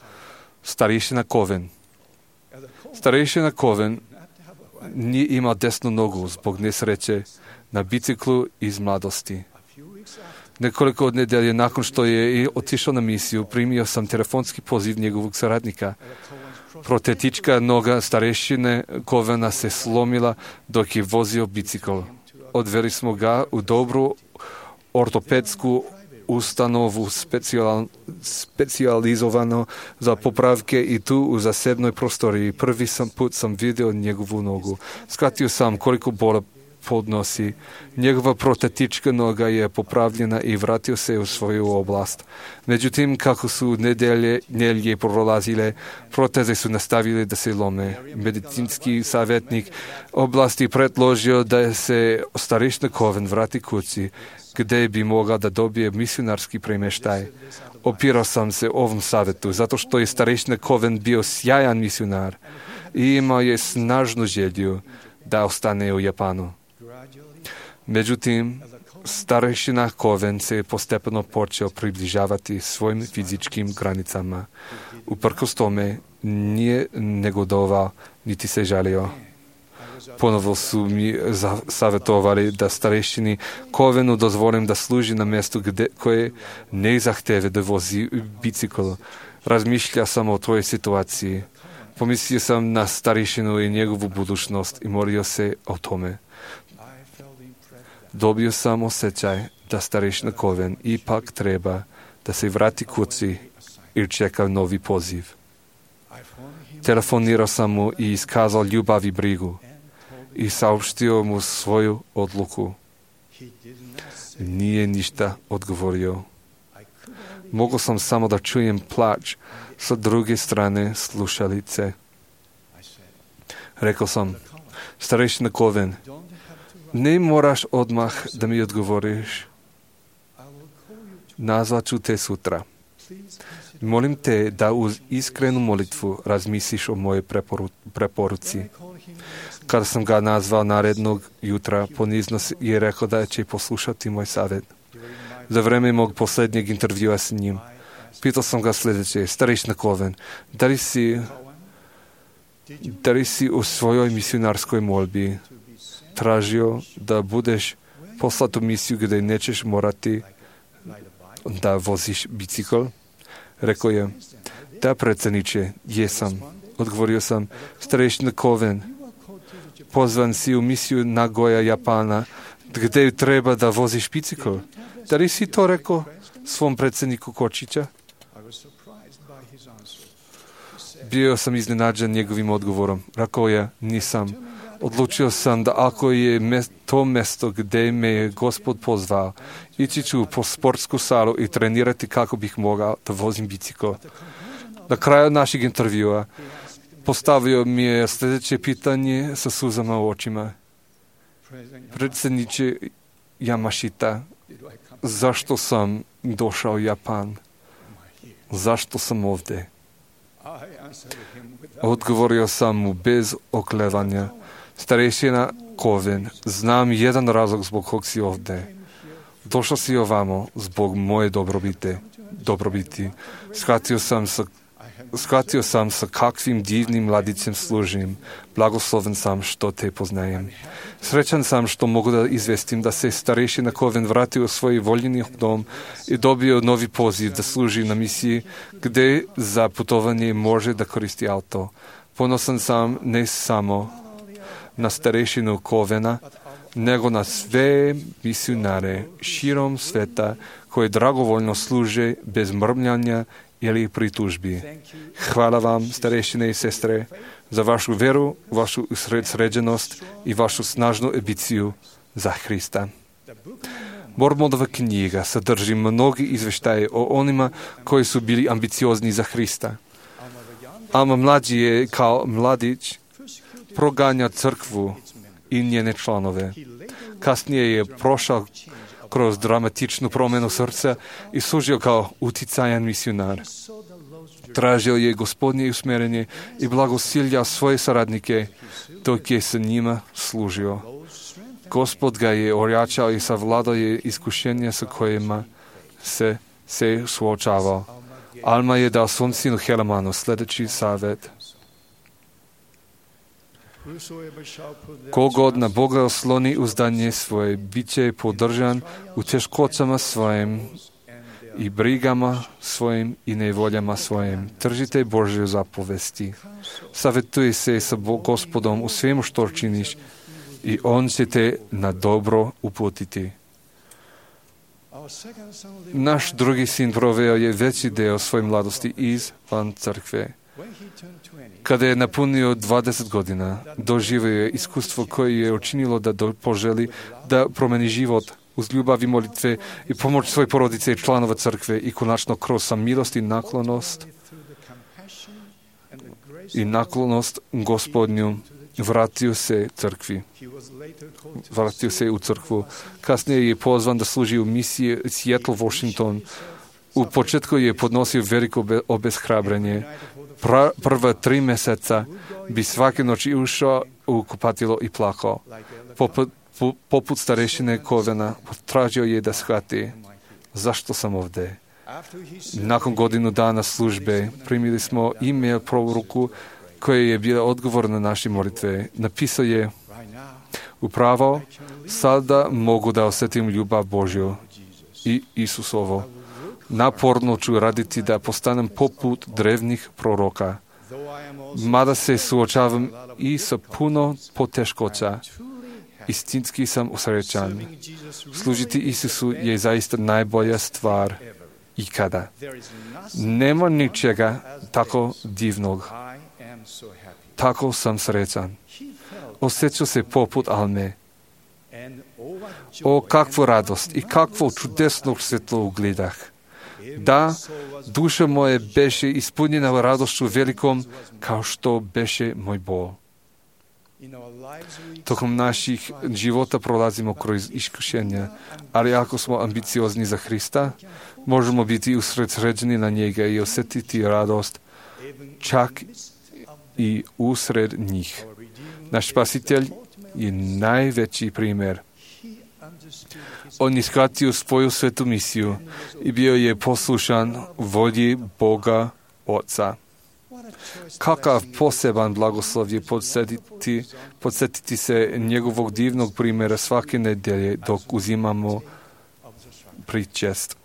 starešina Koven. Starešina Koven nije imao desnu nogu zbog nesreće na biciklu iz mladosti. Nekoliko od nedelje nakon što je otišao na misiju, primio sam telefonski poziv njegovog saradnika. Protetička noga starešine Kovena se slomila dok je vozio bicikl. Odveli smo ga u dobru ortopedsku ustanovu specijalizovano za popravke i tu u zasebnoj prostoriji. Prvi put sam vidio njegovu nogu. Shvatio sam koliko bola podnosi. Njegova protetička noga je popravljena i vratio se u svoju oblast. Međutim, kako su nedelje prolazile, proteze su nastavile da se lome. Medicinski savjetnik oblasti predložio da se starešina Koven vrati kući, gdje bi mogla da dobije misionarski premještaj. Opirao sam se ovom savjetu, zato što je starešina Koven bio sjajan misionar i imao je snažnu želju da ostane u Japanu. Međutim, starešina Koven se je postepeno počeo približavati svojim fizičkim granicama. Uprkos tome nije negodovao niti se žalio. Ponovo su mi savjetovali da starešini Kovenu dozvolim da služi na mjestu koje ne zahteve da vozi bicikl. Razmišlja sam o tvojoj situaciji. Pomislio sam na starešinu i njegovu budućnost i molio se o tome. Dobio sam osjećaj da starešina Koven ipak treba da se vrati kući i čeka novi poziv. Telefonirao sam mu i iskazao ljubav i brigu i saopštio mu svoju odluku. Nije ništa odgovorio. Mogao sam samo da čujem plač sa druge strane slušalice. Rekao sam, starešina Coven, ne moraš odmah da mi odgovoriš. Nazvat ću te sutra. Molim te da uz iskrenu molitvu razmisliš o mojoj preporuci. Kada sam ga nazvao narednog jutra, ponizno je rekao da će poslušati moj savjet. Za vreme mog posljednjeg intervjua s njim, pitao sam ga sljedeće, starešina Coven, da li si u svojoj misionarskoj molbi tražio da budeš poslat u misiju gdje nećeš morati da voziš bicikl? Rekao je, da predsjedniče, jesam. Odgovorio sam, starešina Coven, pozvan si u misiju Nagoya, Japana, gdje treba da voziš bicikl. Da li si to rekao svom predsjedniku Kočića? Bio sam iznenađen njegovim odgovorom. Rekao je, nisam. Odlučio sam da ako je to mjesto gdje me je Gospod pozvao, ići ću po sportsku salu i trenirati kako bih mogao da vozim bicikl. Na kraju našeg intervjua postavio mi je sljedeće pitanje sa suzama u očima. Predsjedniče Yamashita, zašto sam došao u Japan? Zašto sam ovdje? Odgovorio sam mu bez oklevanja. Starešina Coven, znam jedan razlog zbog kog si ovdje. Došao si ovamo zbog moje dobrobiti. Shvatio sam sa kakvim divnim mladicem služim. Blagosloven sam što te poznajem. Srećan sam što mogu da izvestim da se starešina Coven vratio u svoj voljeni dom i dobio novi poziv da služi na misiji gdje za putovanje može da koristi auto. Ponosan sam ne samo na starešinu Covena, nego na sve misionare širom sveta koji dragovoljno služe bez mrmljanja ili pritužbi. Hvala vam, starešine i sestre, za vašu veru, vašu sređenost i vašu snažnu ambiciju za Hrista. Mormonova knjiga sadrži mnogi izveštaje o onima koji su bili ambiciozni za Hrista. Alma mlađi je kao mladić proganja crkvu i njene članove. Kasnije je prošao kroz dramatičnu promjenu srca i služio kao uticajan misionar. Tražio je Gospodnje usmjerenje i blagosiljao svoje saradnike dok je sa njima služio. Gospod ga je ojačao i savladao je iskušenja sa kojima se suočavao. Alma je dao svom sinu Helemanu sljedeći savjet. Kogod na Boga osloni uzdanje svoje, bit će podržan u teškoćama svojim i brigama svojim i nevoljama svojim. Držite Božje zapovesti. Savjetuj se sa Gospodom u svemu što činiš i On će te na dobro uputiti. Naš drugi sin proveo je veći deo svoje mladosti izvan crkve. Kada je napunio 20 godina, doživio je iskustvo koje je učinilo da poželi da promeni život uz ljubav i molitve i pomoć svoje porodice i članova crkve i konačno kroz samilost i naklonost Gospodnju vratio se u crkvu. Kasnije je pozvan da služi u misiji Seattle, Washington. U početku je podnosio veliko obeshrabrenje. Prva 3 mjeseca bi svake noći ušao u kupatilo i plakao. Poput starešine Covena tražio je da shvati zašto sam ovdje. Nakon godinu dana službe primili smo e-mail poruku koja je bila odgovor na naše molitve. Napisao je: upravo sada mogu da osjetim ljubav Božju i Isusovo. Naporno ću raditi da postanem poput drevnih proroka. Mada se suočavam i sa puno poteškoća, istinski sam usrećan. Služiti Isusu je zaista najbolja stvar ikada. Nema ničega tako divnog. Tako sam srećan. Osjećam se poput Alme. О, каква радост и какво чудесно светло угледах. Да, душа моя беше исполнена радостчу великом, као што беше мој бол. Током наших живота пролазимо кроз искушенја, али ако смо амбициозни за Христа, можемо бити усредсреđeni на njega и осетити радост чак и усред njih. Наш Спасител je najveći primjer. On je shvatio svoju svetu misiju i bio je poslušan volji Boga Oca. Kakav poseban blagoslov je podsjetiti se njegovog divnog primjera svake nedelje dok uzimamo pričest.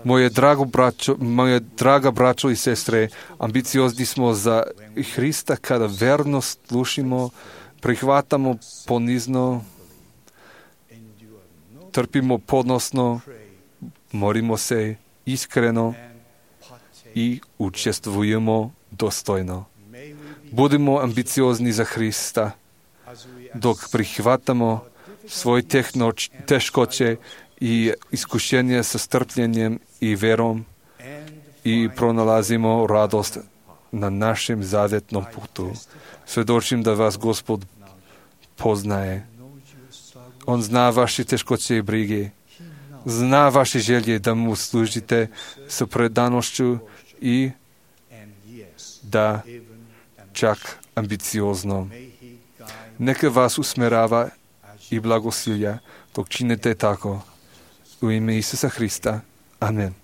Moje draga braćo i sestre, ambiciozni smo za Hrista kada verno slušimo, prihvatamo ponizno, trpimo podnosno, molimo se iskreno i učestvujemo dostojno. Budimo ambiciozni za Hrista, dok prihvatamo svoje teškoće i iskušenje sa strpljenjem i verom i pronalazimo radost na našem zavetnom putu. Svedočim da vas Gospod poznaje. On zna vaše teškoće i brige. Zna vaše želje da mu služite sa predanošću i da čak ambiciozno. Neka vas usmerava i blagosilja dok činite tako. U ime Isusa Hrista. Amen.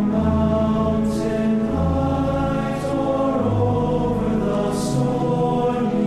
Mountain heights or over the stormy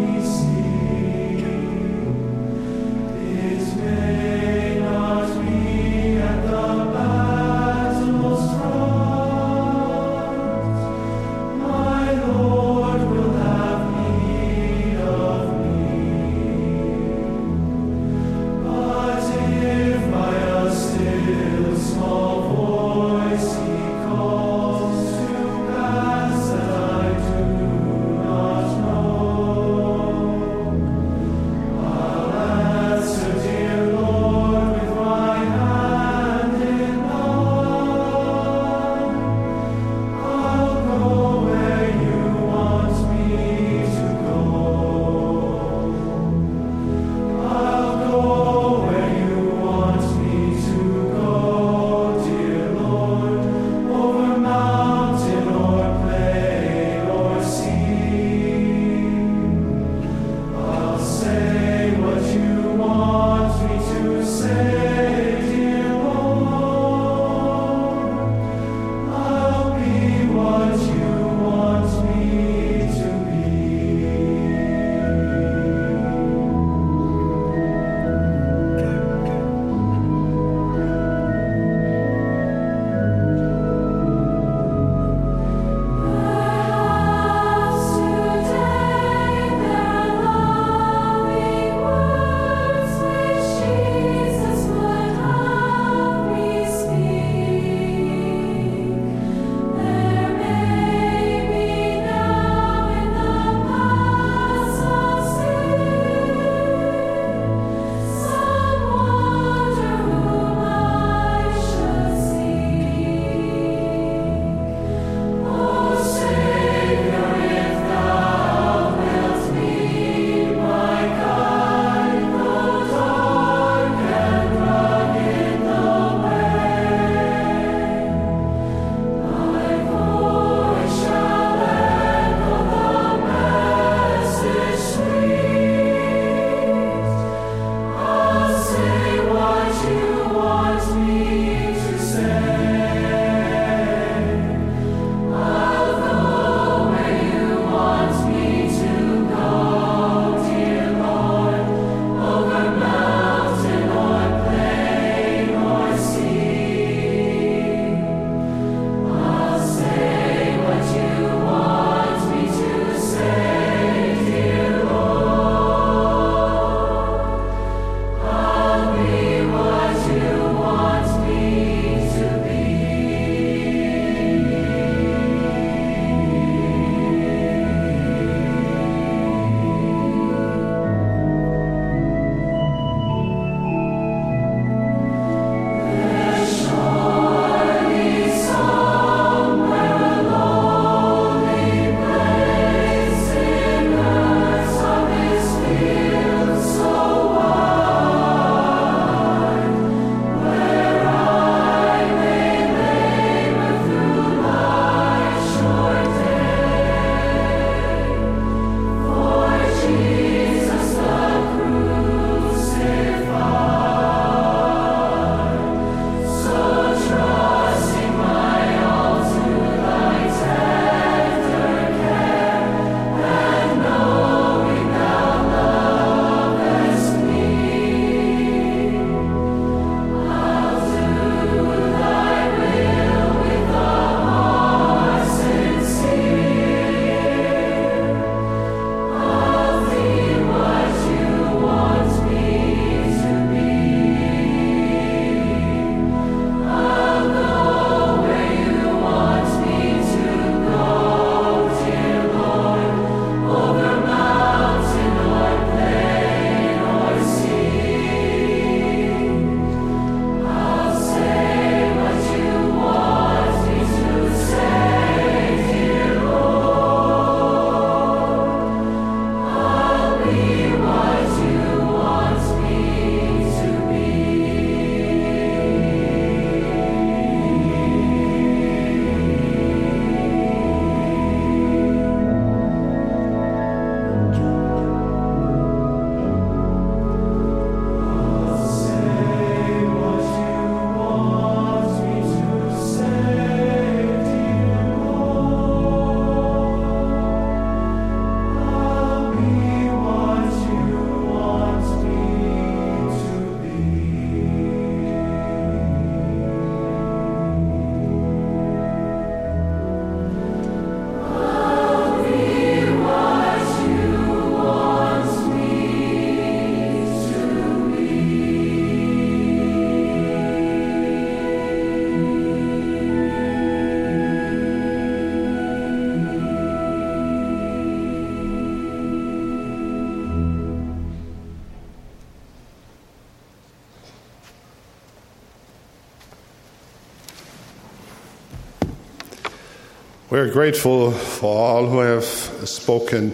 We are grateful for all who have spoken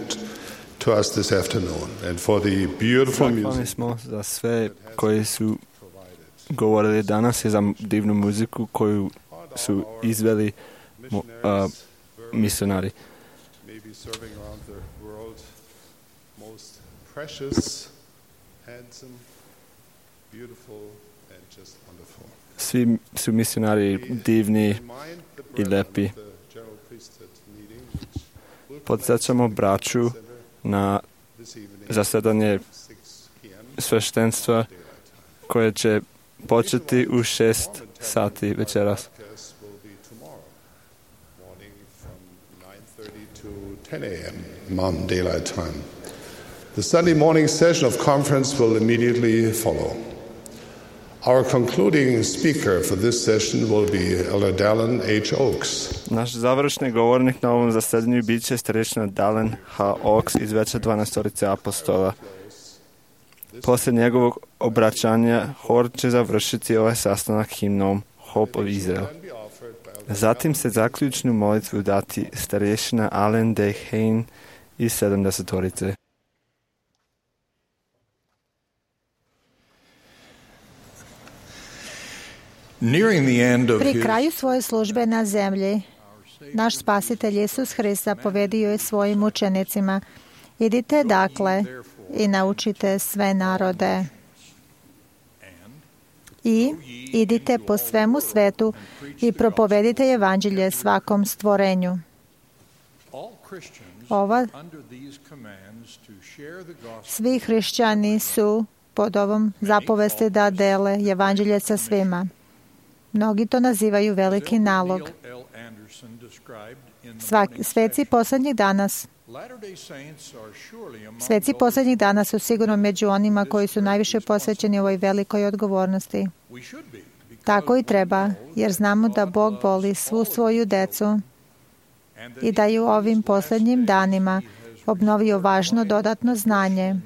to us this afternoon and for the beautiful music. Zahvalni smo za sve koji su govorili danas i za divnu muziku koju su izveli misionari. Maybe serving around the world, most precious, handsome, beautiful and just wonderful. Svi su misionari divni i lepi. Podsjećamo braću na zasedanje sveštenstva koje će početi u 6 sati večeras. 10 a.m. Mountain Daylight Time. The Sunday morning session of conference will immediately follow. Our concluding speaker for this session will be Elder Dallin H. Oaks. Naš završni govornik na ovom zasedanju bit će starešina Dallin H. Oaks iz Veća 12 apostola. Poslije njegovog obraćanja hor će završiti ovaj sastanak himnom Hope of Israel. Zatim se zaključnu molitvu dati starešina Allen D. Hain iz 70. Pri kraju svoje službe na zemlji, naš spasitelj Isus Hrista povedio je svojim učenicima: idite dakle i naučite sve narode. I idite po svemu svetu i propovedite evanđelje svakom stvorenju. Svi hrišćani su pod ovom zapovesti da dele evanđelje sa svima. Mnogi to nazivaju veliki nalog. Sveci posljednjih dana su sigurno među onima koji su najviše posvećeni ovoj velikoj odgovornosti. Tako i treba, jer znamo da Bog voli svu svoju decu i da je u ovim posljednjim danima obnovio važno dodatno znanje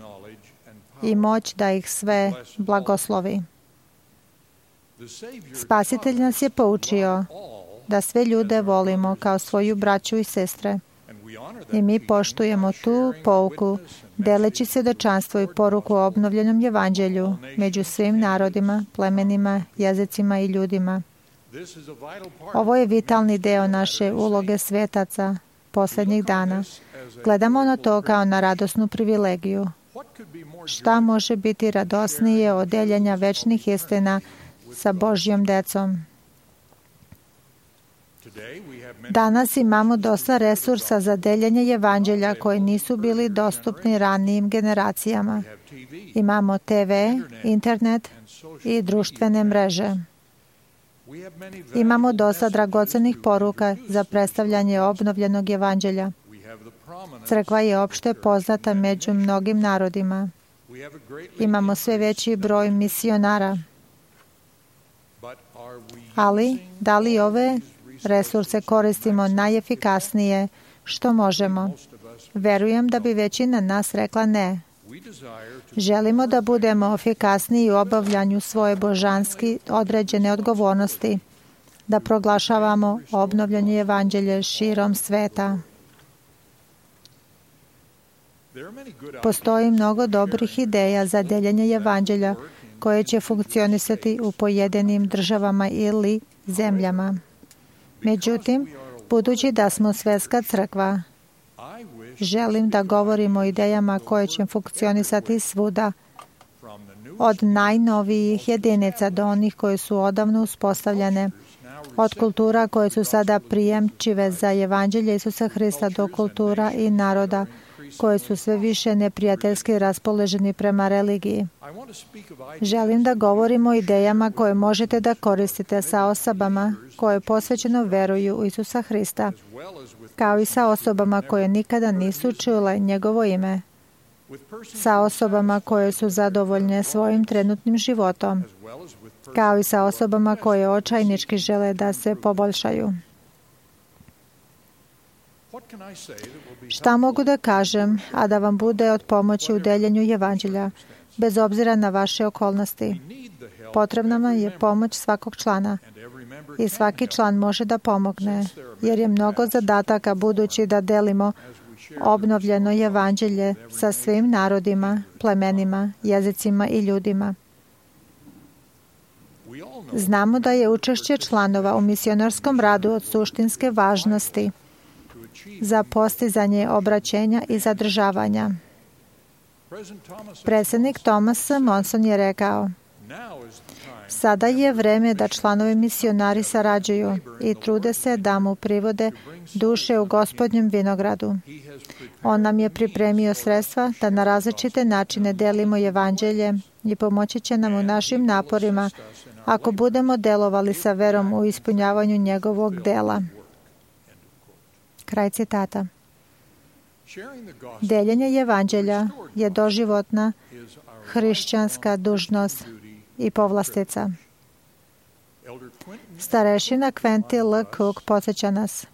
i moć da ih sve blagoslovi. Spasitelj nas je poučio da sve ljude volimo kao svoju braću i sestre. I mi poštujemo tu pouku, deleći svjedočanstvo i poruku o obnovljenom evanđelju među svim narodima, plemenima, jezicima i ljudima. Ovo je vitalni deo naše uloge svetaca posljednjih dana. Gledamo na to kao na radosnu privilegiju. Šta može biti radosnije od deljenja večnih istina sa Božjom decom? Danas imamo dosta resursa za deljenje evanđelja koji nisu bili dostupni ranijim generacijama. Imamo TV, internet i društvene mreže. Imamo dosta dragocenih poruka za predstavljanje obnovljenog evanđelja. Crkva je opšte poznata među mnogim narodima. Imamo sve veći broj misionara. Ali, da li ove resurse koristimo najefikasnije što možemo? Verujem da bi većina nas rekla ne. Želimo da budemo efikasniji u obavljanju svoje božanski određene odgovornosti, da proglašavamo obnovljanje evanđelje širom sveta. Postoji mnogo dobrih ideja za deljenje evanđelja koje će funkcionisati u pojedinim državama ili zemljama. Međutim, budući da smo svjetska crkva, želim da govorim o idejama koje će funkcionisati svuda, od najnovijih jedinica do onih koje su odavno uspostavljene, od kultura koje su sada prijemčive za evanđelje Isusa Hrista do kultura i naroda koje su sve više neprijateljski raspoloženi prema religiji. Želim da govorim o idejama koje možete da koristite sa osobama koje posvećeno veruju u Isusa Hrista, kao i sa osobama koje nikada nisu čule njegovo ime, sa osobama koje su zadovoljne svojim trenutnim životom, kao i sa osobama koje očajnički žele da se poboljšaju. Šta mogu da kažem, a da vam bude od pomoći u deljenju evanđelja, bez obzira na vaše okolnosti? Potrebna nam je pomoć svakog člana i svaki član može da pomogne, jer je mnogo zadataka budući da delimo obnovljeno evanđelje sa svim narodima, plemenima, jezicima i ljudima. Znamo da je učešće članova u misionarskom radu od suštinske važnosti za postizanje obraćenja i zadržavanja. Predsjednik Thomas Monson je rekao: sada je vreme da članovi misionari sarađuju i trude se da mu privode duše u Gospodnjem vinogradu. On nam je pripremio sredstva da na različite načine delimo evanđelje i pomoći će nam u našim naporima ako budemo delovali sa verom u ispunjavanju njegovog dela. Kraj citata. Deljenje evanđelja je doživotna hrišćanska dužnost i povlastica. Starešina Quentin L. Cook podsjeća nas: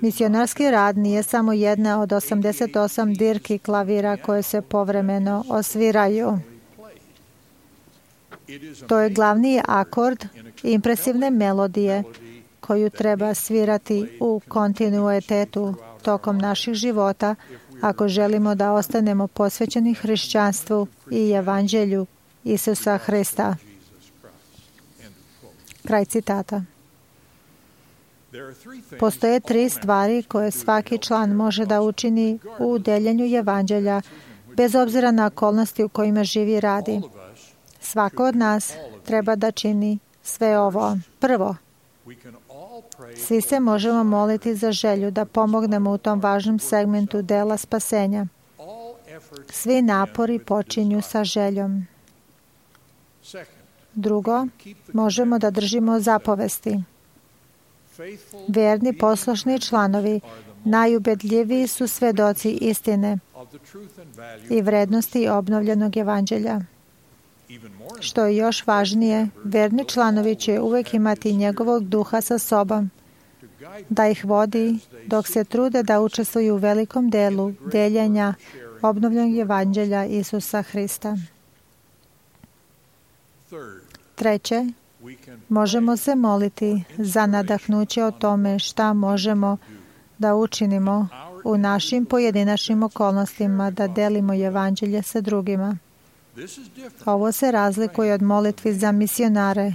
misionarski rad nije samo jedna od 88 dirki klavira koje se povremeno osviraju. To je glavni akord impresivne melodije koju treba svirati u kontinuitetu tokom naših života ako želimo da ostanemo posvećeni hrišćanstvu i evanđelju Isusa Hrista. Kraj citata. Postoje 3 stvari koje svaki član može da učini u deljenju evanđelja, bez obzira na okolnosti u kojima živi i radi. Svako od nas treba da čini sve ovo. Prvo, svi se možemo moliti za želju da pomognemo u tom važnom segmentu dela spasenja. Svi napori počinju sa željom. Drugo, možemo da držimo zapovesti. Verni poslušni članovi najubedljiviji su svedoci istine i vrednosti obnovljenog evanđelja. Što je još važnije, verni članovi će uvek imati njegovog duha sa sobom, da ih vodi dok se trude da učestvuju u velikom delu deljenja obnovljenog evanđelja Isusa Hrista. Treće, možemo se moliti za nadahnuće o tome šta možemo da učinimo u našim pojedinačnim okolnostima da delimo evanđelje sa drugima. Ovo se razlikuje od molitvi za misionare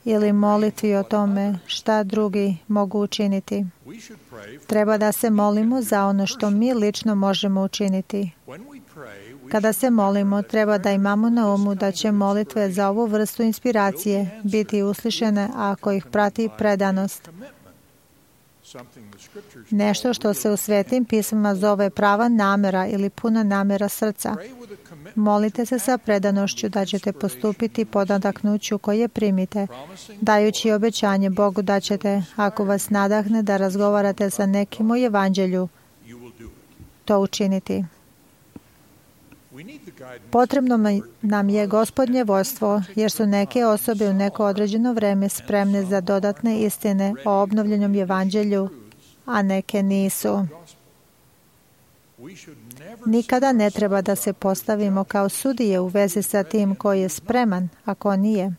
ili molitvi o tome šta drugi mogu učiniti. Treba da se molimo za ono što mi lično možemo učiniti. Kada se molimo, treba da imamo na umu da će molitve za ovu vrstu inspiracije biti uslišene ako ih prati predanost. Nešto što se u svetim pismima zove prava namera ili puna namera srca. Molite se sa predanošću da ćete postupiti po nadahnuću koje primite, dajući obećanje Bogu da ćete, ako vas nadahne da razgovarate sa nekim o evanđelju, to učiniti. Potrebno nam je Gospodnje vodstvo, jer su neke osobe u neko određeno vreme spremne za dodatne istine o obnovljenom evanđelju, a neke nisu. Nikada ne treba da se postavimo kao sudije u vezi sa tim koji je spreman, a ko nije.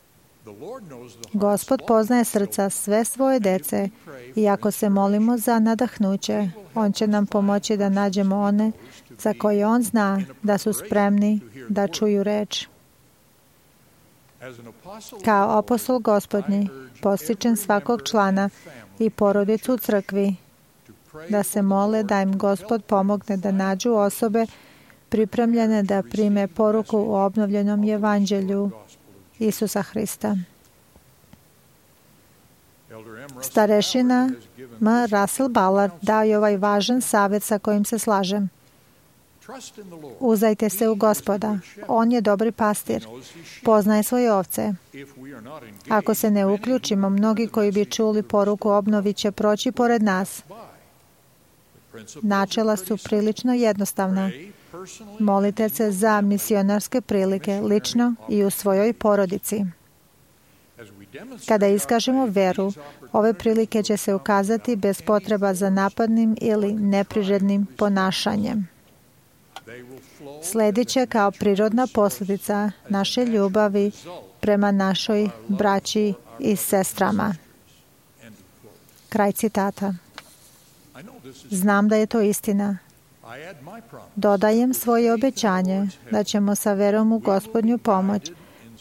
Gospod poznaje srca sve svoje dece i ako se molimo za nadahnuće, On će nam pomoći da nađemo one za koje On zna da su spremni da čuju reč. Kao apostol Gospodnji, postičem svakog člana i porodicu u crkvi da se mole da im Gospod pomogne da nađu osobe pripremljene da prime poruku o obnovljenom evanđelju Isusa Hrista. Starešina M. Russell Ballard dao je ovaj važan savjet sa kojim se slažem. Uzdajte se u Gospoda. On je dobri pastir. Poznaje svoje ovce. Ako se ne uključimo, mnogi koji bi čuli poruku obnovi će proći pored nas. Načela su prilično jednostavna. Molite se za misionarske prilike lično i u svojoj porodici. Kada iskažemo veru, ove prilike će se ukazati bez potreba za napadnim ili neprirodnim ponašanjem. Sledit će kao prirodna posljedica naše ljubavi prema našoj braći i sestrama. Kraj citata. Znam da je to istina. Dodajem svoje obećanje da ćemo sa verom u Gospodnju pomoć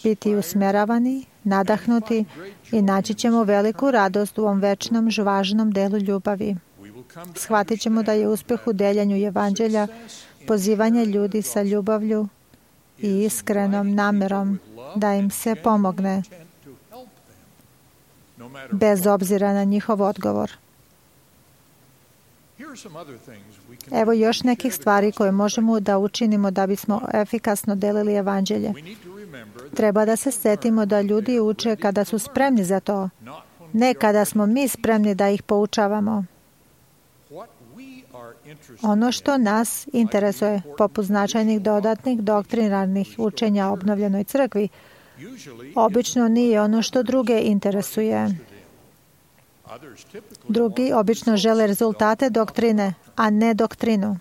biti usmjeravani, nadahnuti i naći ćemo veliku radost u ovom večnom, važnom delu ljubavi. Shvatit ćemo da je uspjeh u deljenju evanđelja pozivanje ljudi sa ljubavlju i iskrenom namjerom da im se pomogne, bez obzira na njihov odgovor. Evo još nekih stvari koje možemo da učinimo da bismo efikasno delili evanđelje. Treba da se sjetimo da ljudi uče kada su spremni za to, ne kada smo mi spremni da ih poučavamo. Ono što nas interesuje, poput značajnih dodatnih doktrinarnih učenja o obnovljenoj crkvi, obično nije ono što druge interesuje. Drugi obično žele rezultate doktrine, a ne doktrinu.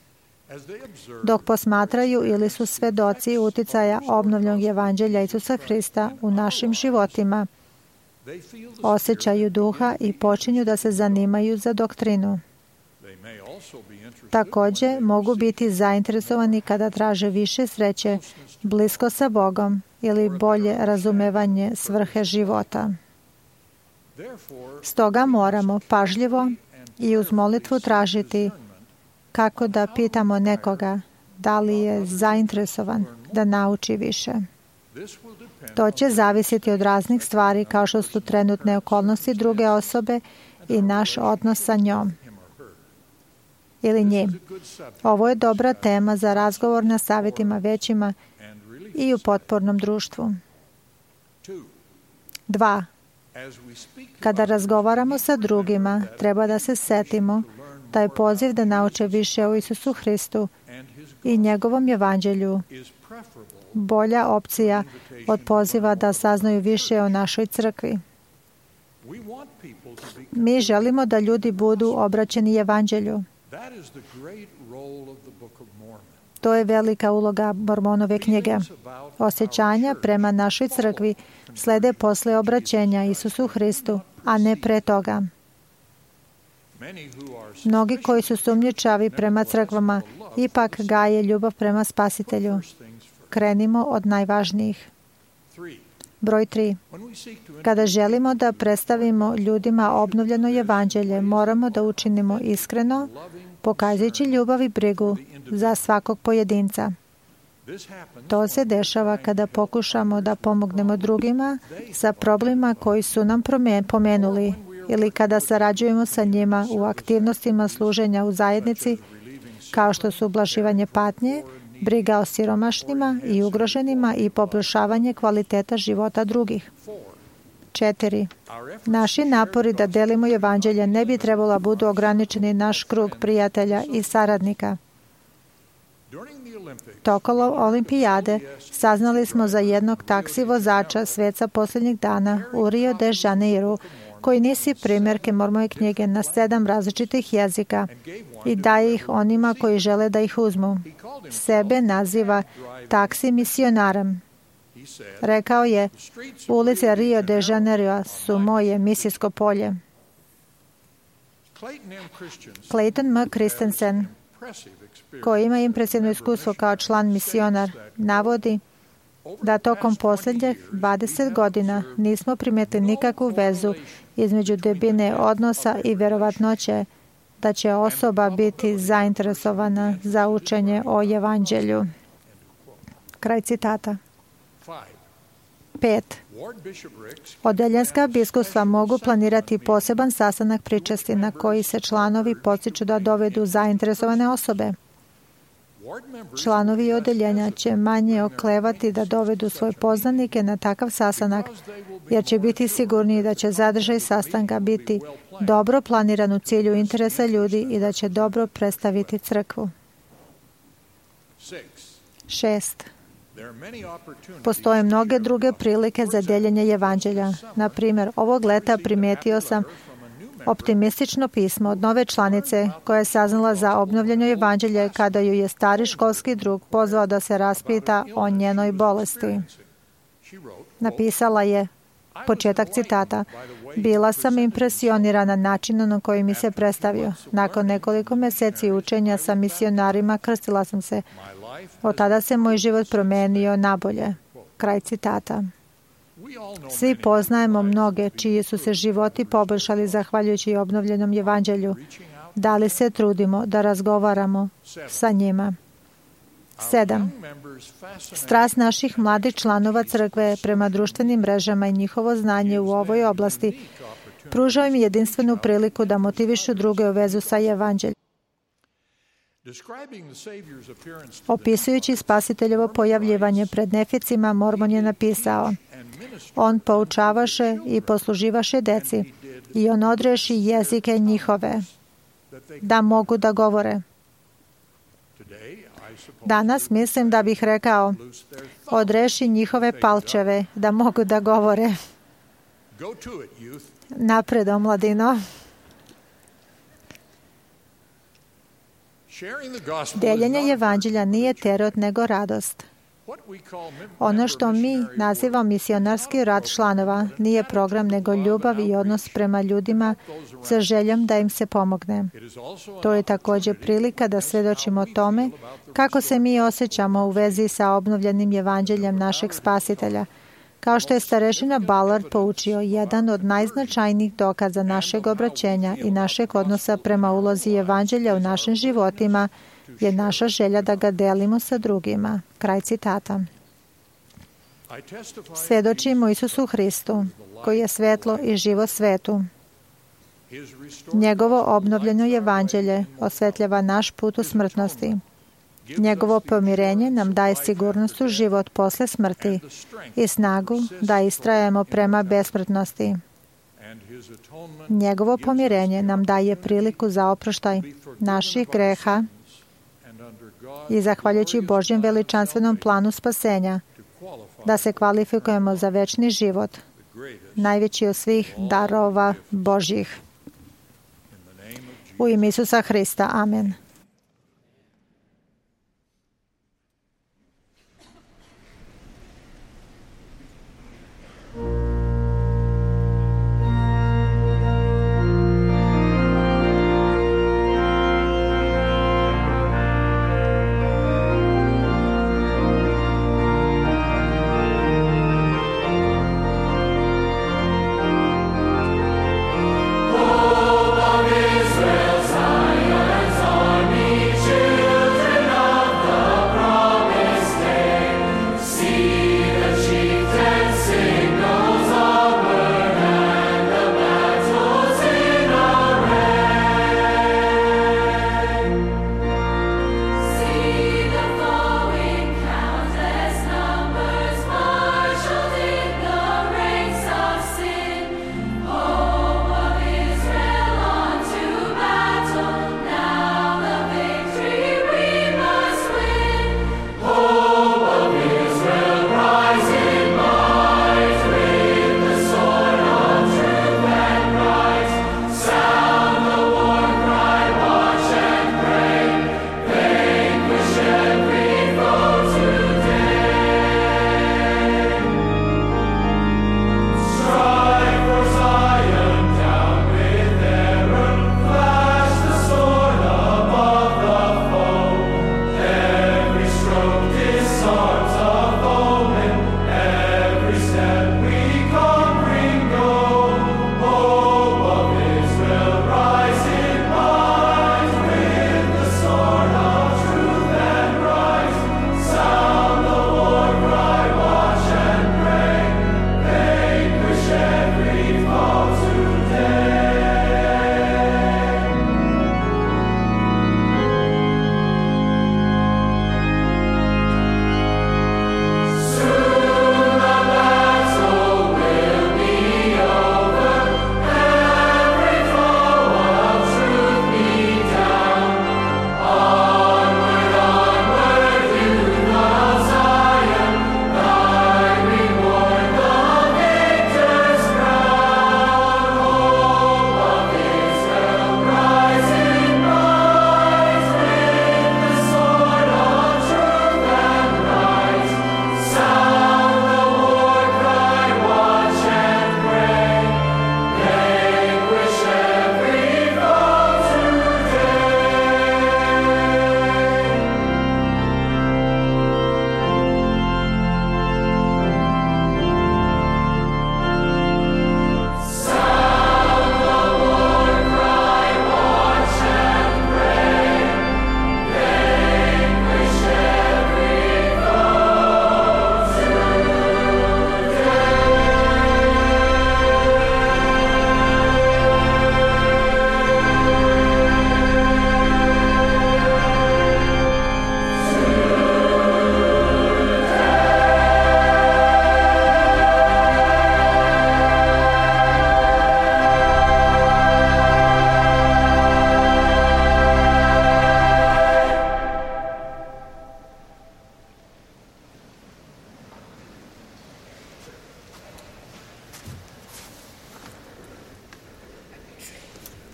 Dok posmatraju ili su svedoci uticaja obnovljenog evanđelja Isusa Hrista u našim životima, osjećaju duha i počinju da se zanimaju za doktrinu. Također mogu biti zainteresovani kada traže više sreće, blisko sa Bogom ili bolje razumevanje svrhe života. Stoga moramo pažljivo i uz molitvu tražiti kako da pitamo nekoga da li je zainteresovan da nauči više. To će zavisiti od raznih stvari kao što su trenutne okolnosti druge osobe i naš odnos sa njom ili njim. Ovo je dobra tema za razgovor na savjetima većima i u potpornom društvu. 2. Kada razgovaramo sa drugima, treba da se setimo da je poziv da nauče više o Isusu Hristu i njegovom evanđelju bolja opcija od poziva da saznaju više o našoj crkvi. Mi želimo da ljudi budu obraćeni evanđelju. To je velika uloga Mormonove knjige. Osjećanja prema našoj crkvi slede posle obraćenja Isusu Hristu, a ne pre toga. Mnogi koji su sumnjičavi prema crkvama ipak gaje ljubav prema Spasitelju. Krenimo od najvažnijih. Broj 3. Kada želimo da predstavimo ljudima obnovljeno evanđelje, moramo da učinimo iskreno, pokazujući ljubav i brigu za svakog pojedinca. To se dešava kada pokušamo da pomognemo drugima sa problemima koji su nam pomenuli ili kada sarađujemo sa njima u aktivnostima služenja u zajednici, kao što su ublaživanje patnje, briga o siromašnima i ugroženima i poboljšavanje kvaliteta života drugih. 4. Naši napori da delimo evanđelje ne bi trebalo budu ograničeni naš krug prijatelja i saradnika. Tokom olimpijade saznali smo za jednog taksi vozača sveca posljednjih dana u Rio de Janeiru, koji nisi primjerke Mormone knjige na 7 različitih jezika i daje ih onima koji žele da ih uzmu. Sebe naziva taksi misionarem. Rekao je, ulice Rio de Janeiro su moje misijsko polje. Clayton M. Christensen, koji ima impresivno iskustvo kao član misionar, navodi da tokom posljednjih 20 godina nismo primijetili nikakvu vezu između debine odnosa i vjerovatnoće da će osoba biti zainteresovana za učenje o evanđelju. Kraj citata. 5. Odeljenska biskupstva mogu planirati poseban sastanak pričesti na koji se članovi podsjeću da dovedu zainteresovane osobe. Članovi odeljenja će manje oklevati da dovedu svoje poznanike na takav sastanak, jer će biti sigurniji da će zadržaj sastanka biti dobro planiran u cilju interesa ljudi i da će dobro predstaviti crkvu. 6. Postoje mnoge druge prilike za deljenje evanđelja. Na primjer, ovog leta primijetio sam Optimistično pismo od nove članice koja je saznala za obnovljeno evanđelje kada ju je stari školski drug pozvao da se raspita o njenoj bolesti. Napisala je, početak citata, bila sam impresionirana načinom na koji mi se predstavio. Nakon nekoliko meseci učenja sa misionarima krstila sam se. Od tada se moj život promenio nabolje. Kraj citata. Svi poznajemo mnoge čiji su se životi poboljšali zahvaljujući obnovljenom evanđelju. Da li se trudimo da razgovaramo sa njima? 7. Strast naših mladih članova crkve prema društvenim mrežama i njihovo znanje u ovoj oblasti pružao im jedinstvenu priliku da motivišu druge u vezu sa evanđeljem. Opisujući Spasiteljevo pojavljivanje pred Neficima, Mormon je napisao: on poučavaše i posluživaše deci i on odreši jezike njihove da mogu da govore. Danas mislim da bih rekao: odreši njihove palčeve da mogu da govore. Napred, omladino. Deljenje evanđelja nije terot nego radost. Ono što mi nazivamo misionarski rad članova nije program nego ljubav i odnos prema ljudima sa željom da im se pomogne. To je također prilika da svedočimo tome kako se mi osjećamo u vezi sa obnovljenim evanđeljem našeg Spasitelja. Kao što je starešina Ballard poučio, jedan od najznačajnijih dokaza našeg obraćenja i našeg odnosa prema ulozi evanđelja u našim životima je naša želja da ga delimo sa drugima. Kraj citata. Svedočimo Isusu Hristu, koji je svetlo i život svetu. Njegovo obnovljeno evanđelje osvetljava naš put u smrtnosti. Njegovo pomirenje nam daje sigurnost u život posle smrti i snagu da istrajemo prema besmrtnosti. Njegovo pomirenje nam daje priliku za oproštaj naših greha i zahvaljujući Božjem veličanstvenom planu spasenja da se kvalifikujemo za večni život, najveći od svih darova Božjih. U ime Isusa Hrista. Amen. Israel, Zion,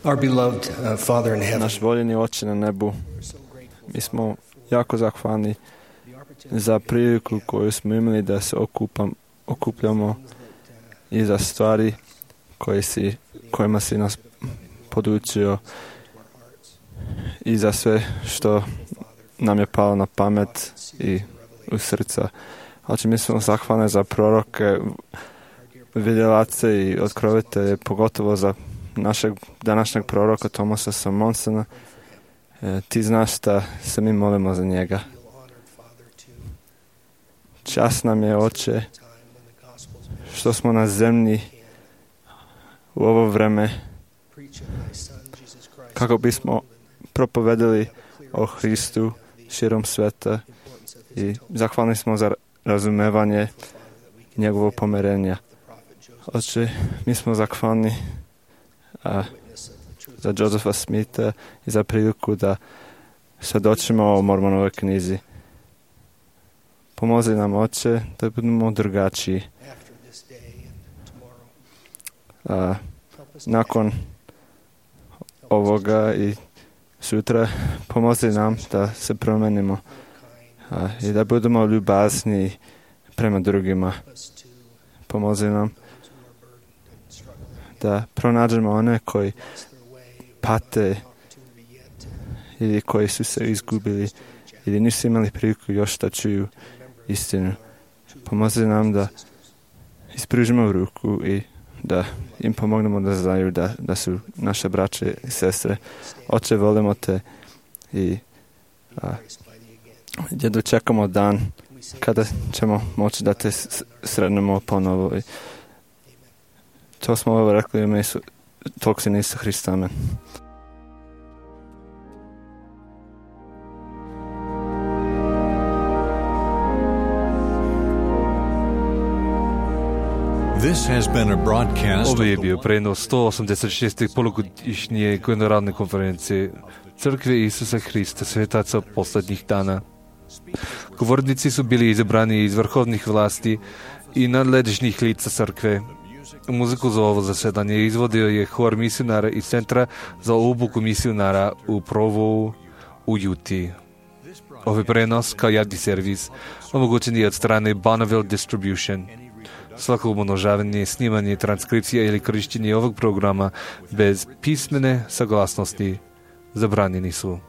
Our beloved Father in heaven. Naš voljeni Oče na nebu, mi smo jako zahvalni za priliku koju smo imali da se okupljamo i za stvari kojima si nas podučio i za sve što nam je palo na pamet i u srca. Znači, mi smo zahvalni za proroke, vidjelace i otkrovitelje, pogotovo za našeg današnjeg proroka Thomasa S. Monsona. Ti znaš da se mi molimo za njega. Čast nam je, Oče, što smo na zemlji u ovo vreme kako bismo propovedali o Hristu širom sveta i zahvalni smo za razumevanje njegovog pomirenja. Oče, mi smo zahvalni za Josepha Smitha i za priliku da svjedočimo o Mormonovoj knjizi. Pomozi nam, Oče, da budemo drugačiji. Nakon ovoga i sutra pomozi nam da se promenimo i da budemo ljubazni prema drugima. Pomozi nam da pronađemo one koji pate ili koji su se izgubili ili nisu imali priliku još da čuju istinu. Pomozi nam da ispružimo ruku i da im pomognemo da znaju da su naše braće i sestre. Oče, volimo te i gdje čekamo dan kada ćemo moći da te sretnemo ponovo. I to smo ovo rekli u ime tvog Sina Isusa Hrista. Amen. This has been a broadcast. Ovo je bio prenos 186. polugodišnje generalne konferencije Crkve Isusa Hrista, svetaca posljednjih dana. Govornici su bili izabrani iz vrhovnih vlasti i nadležnih lica crkve. Muziku za ovo zasedanje izvodio je hor misionara iz Centra za obuku misionara u Provo u Utah. Ovaj prenos kao javni servis omogućen je od strane Bonneville Distribution. Svako umnožavanje, snimanje, transkripcija ili korištenje ovog programa bez pismene saglasnosti zabranjeni su.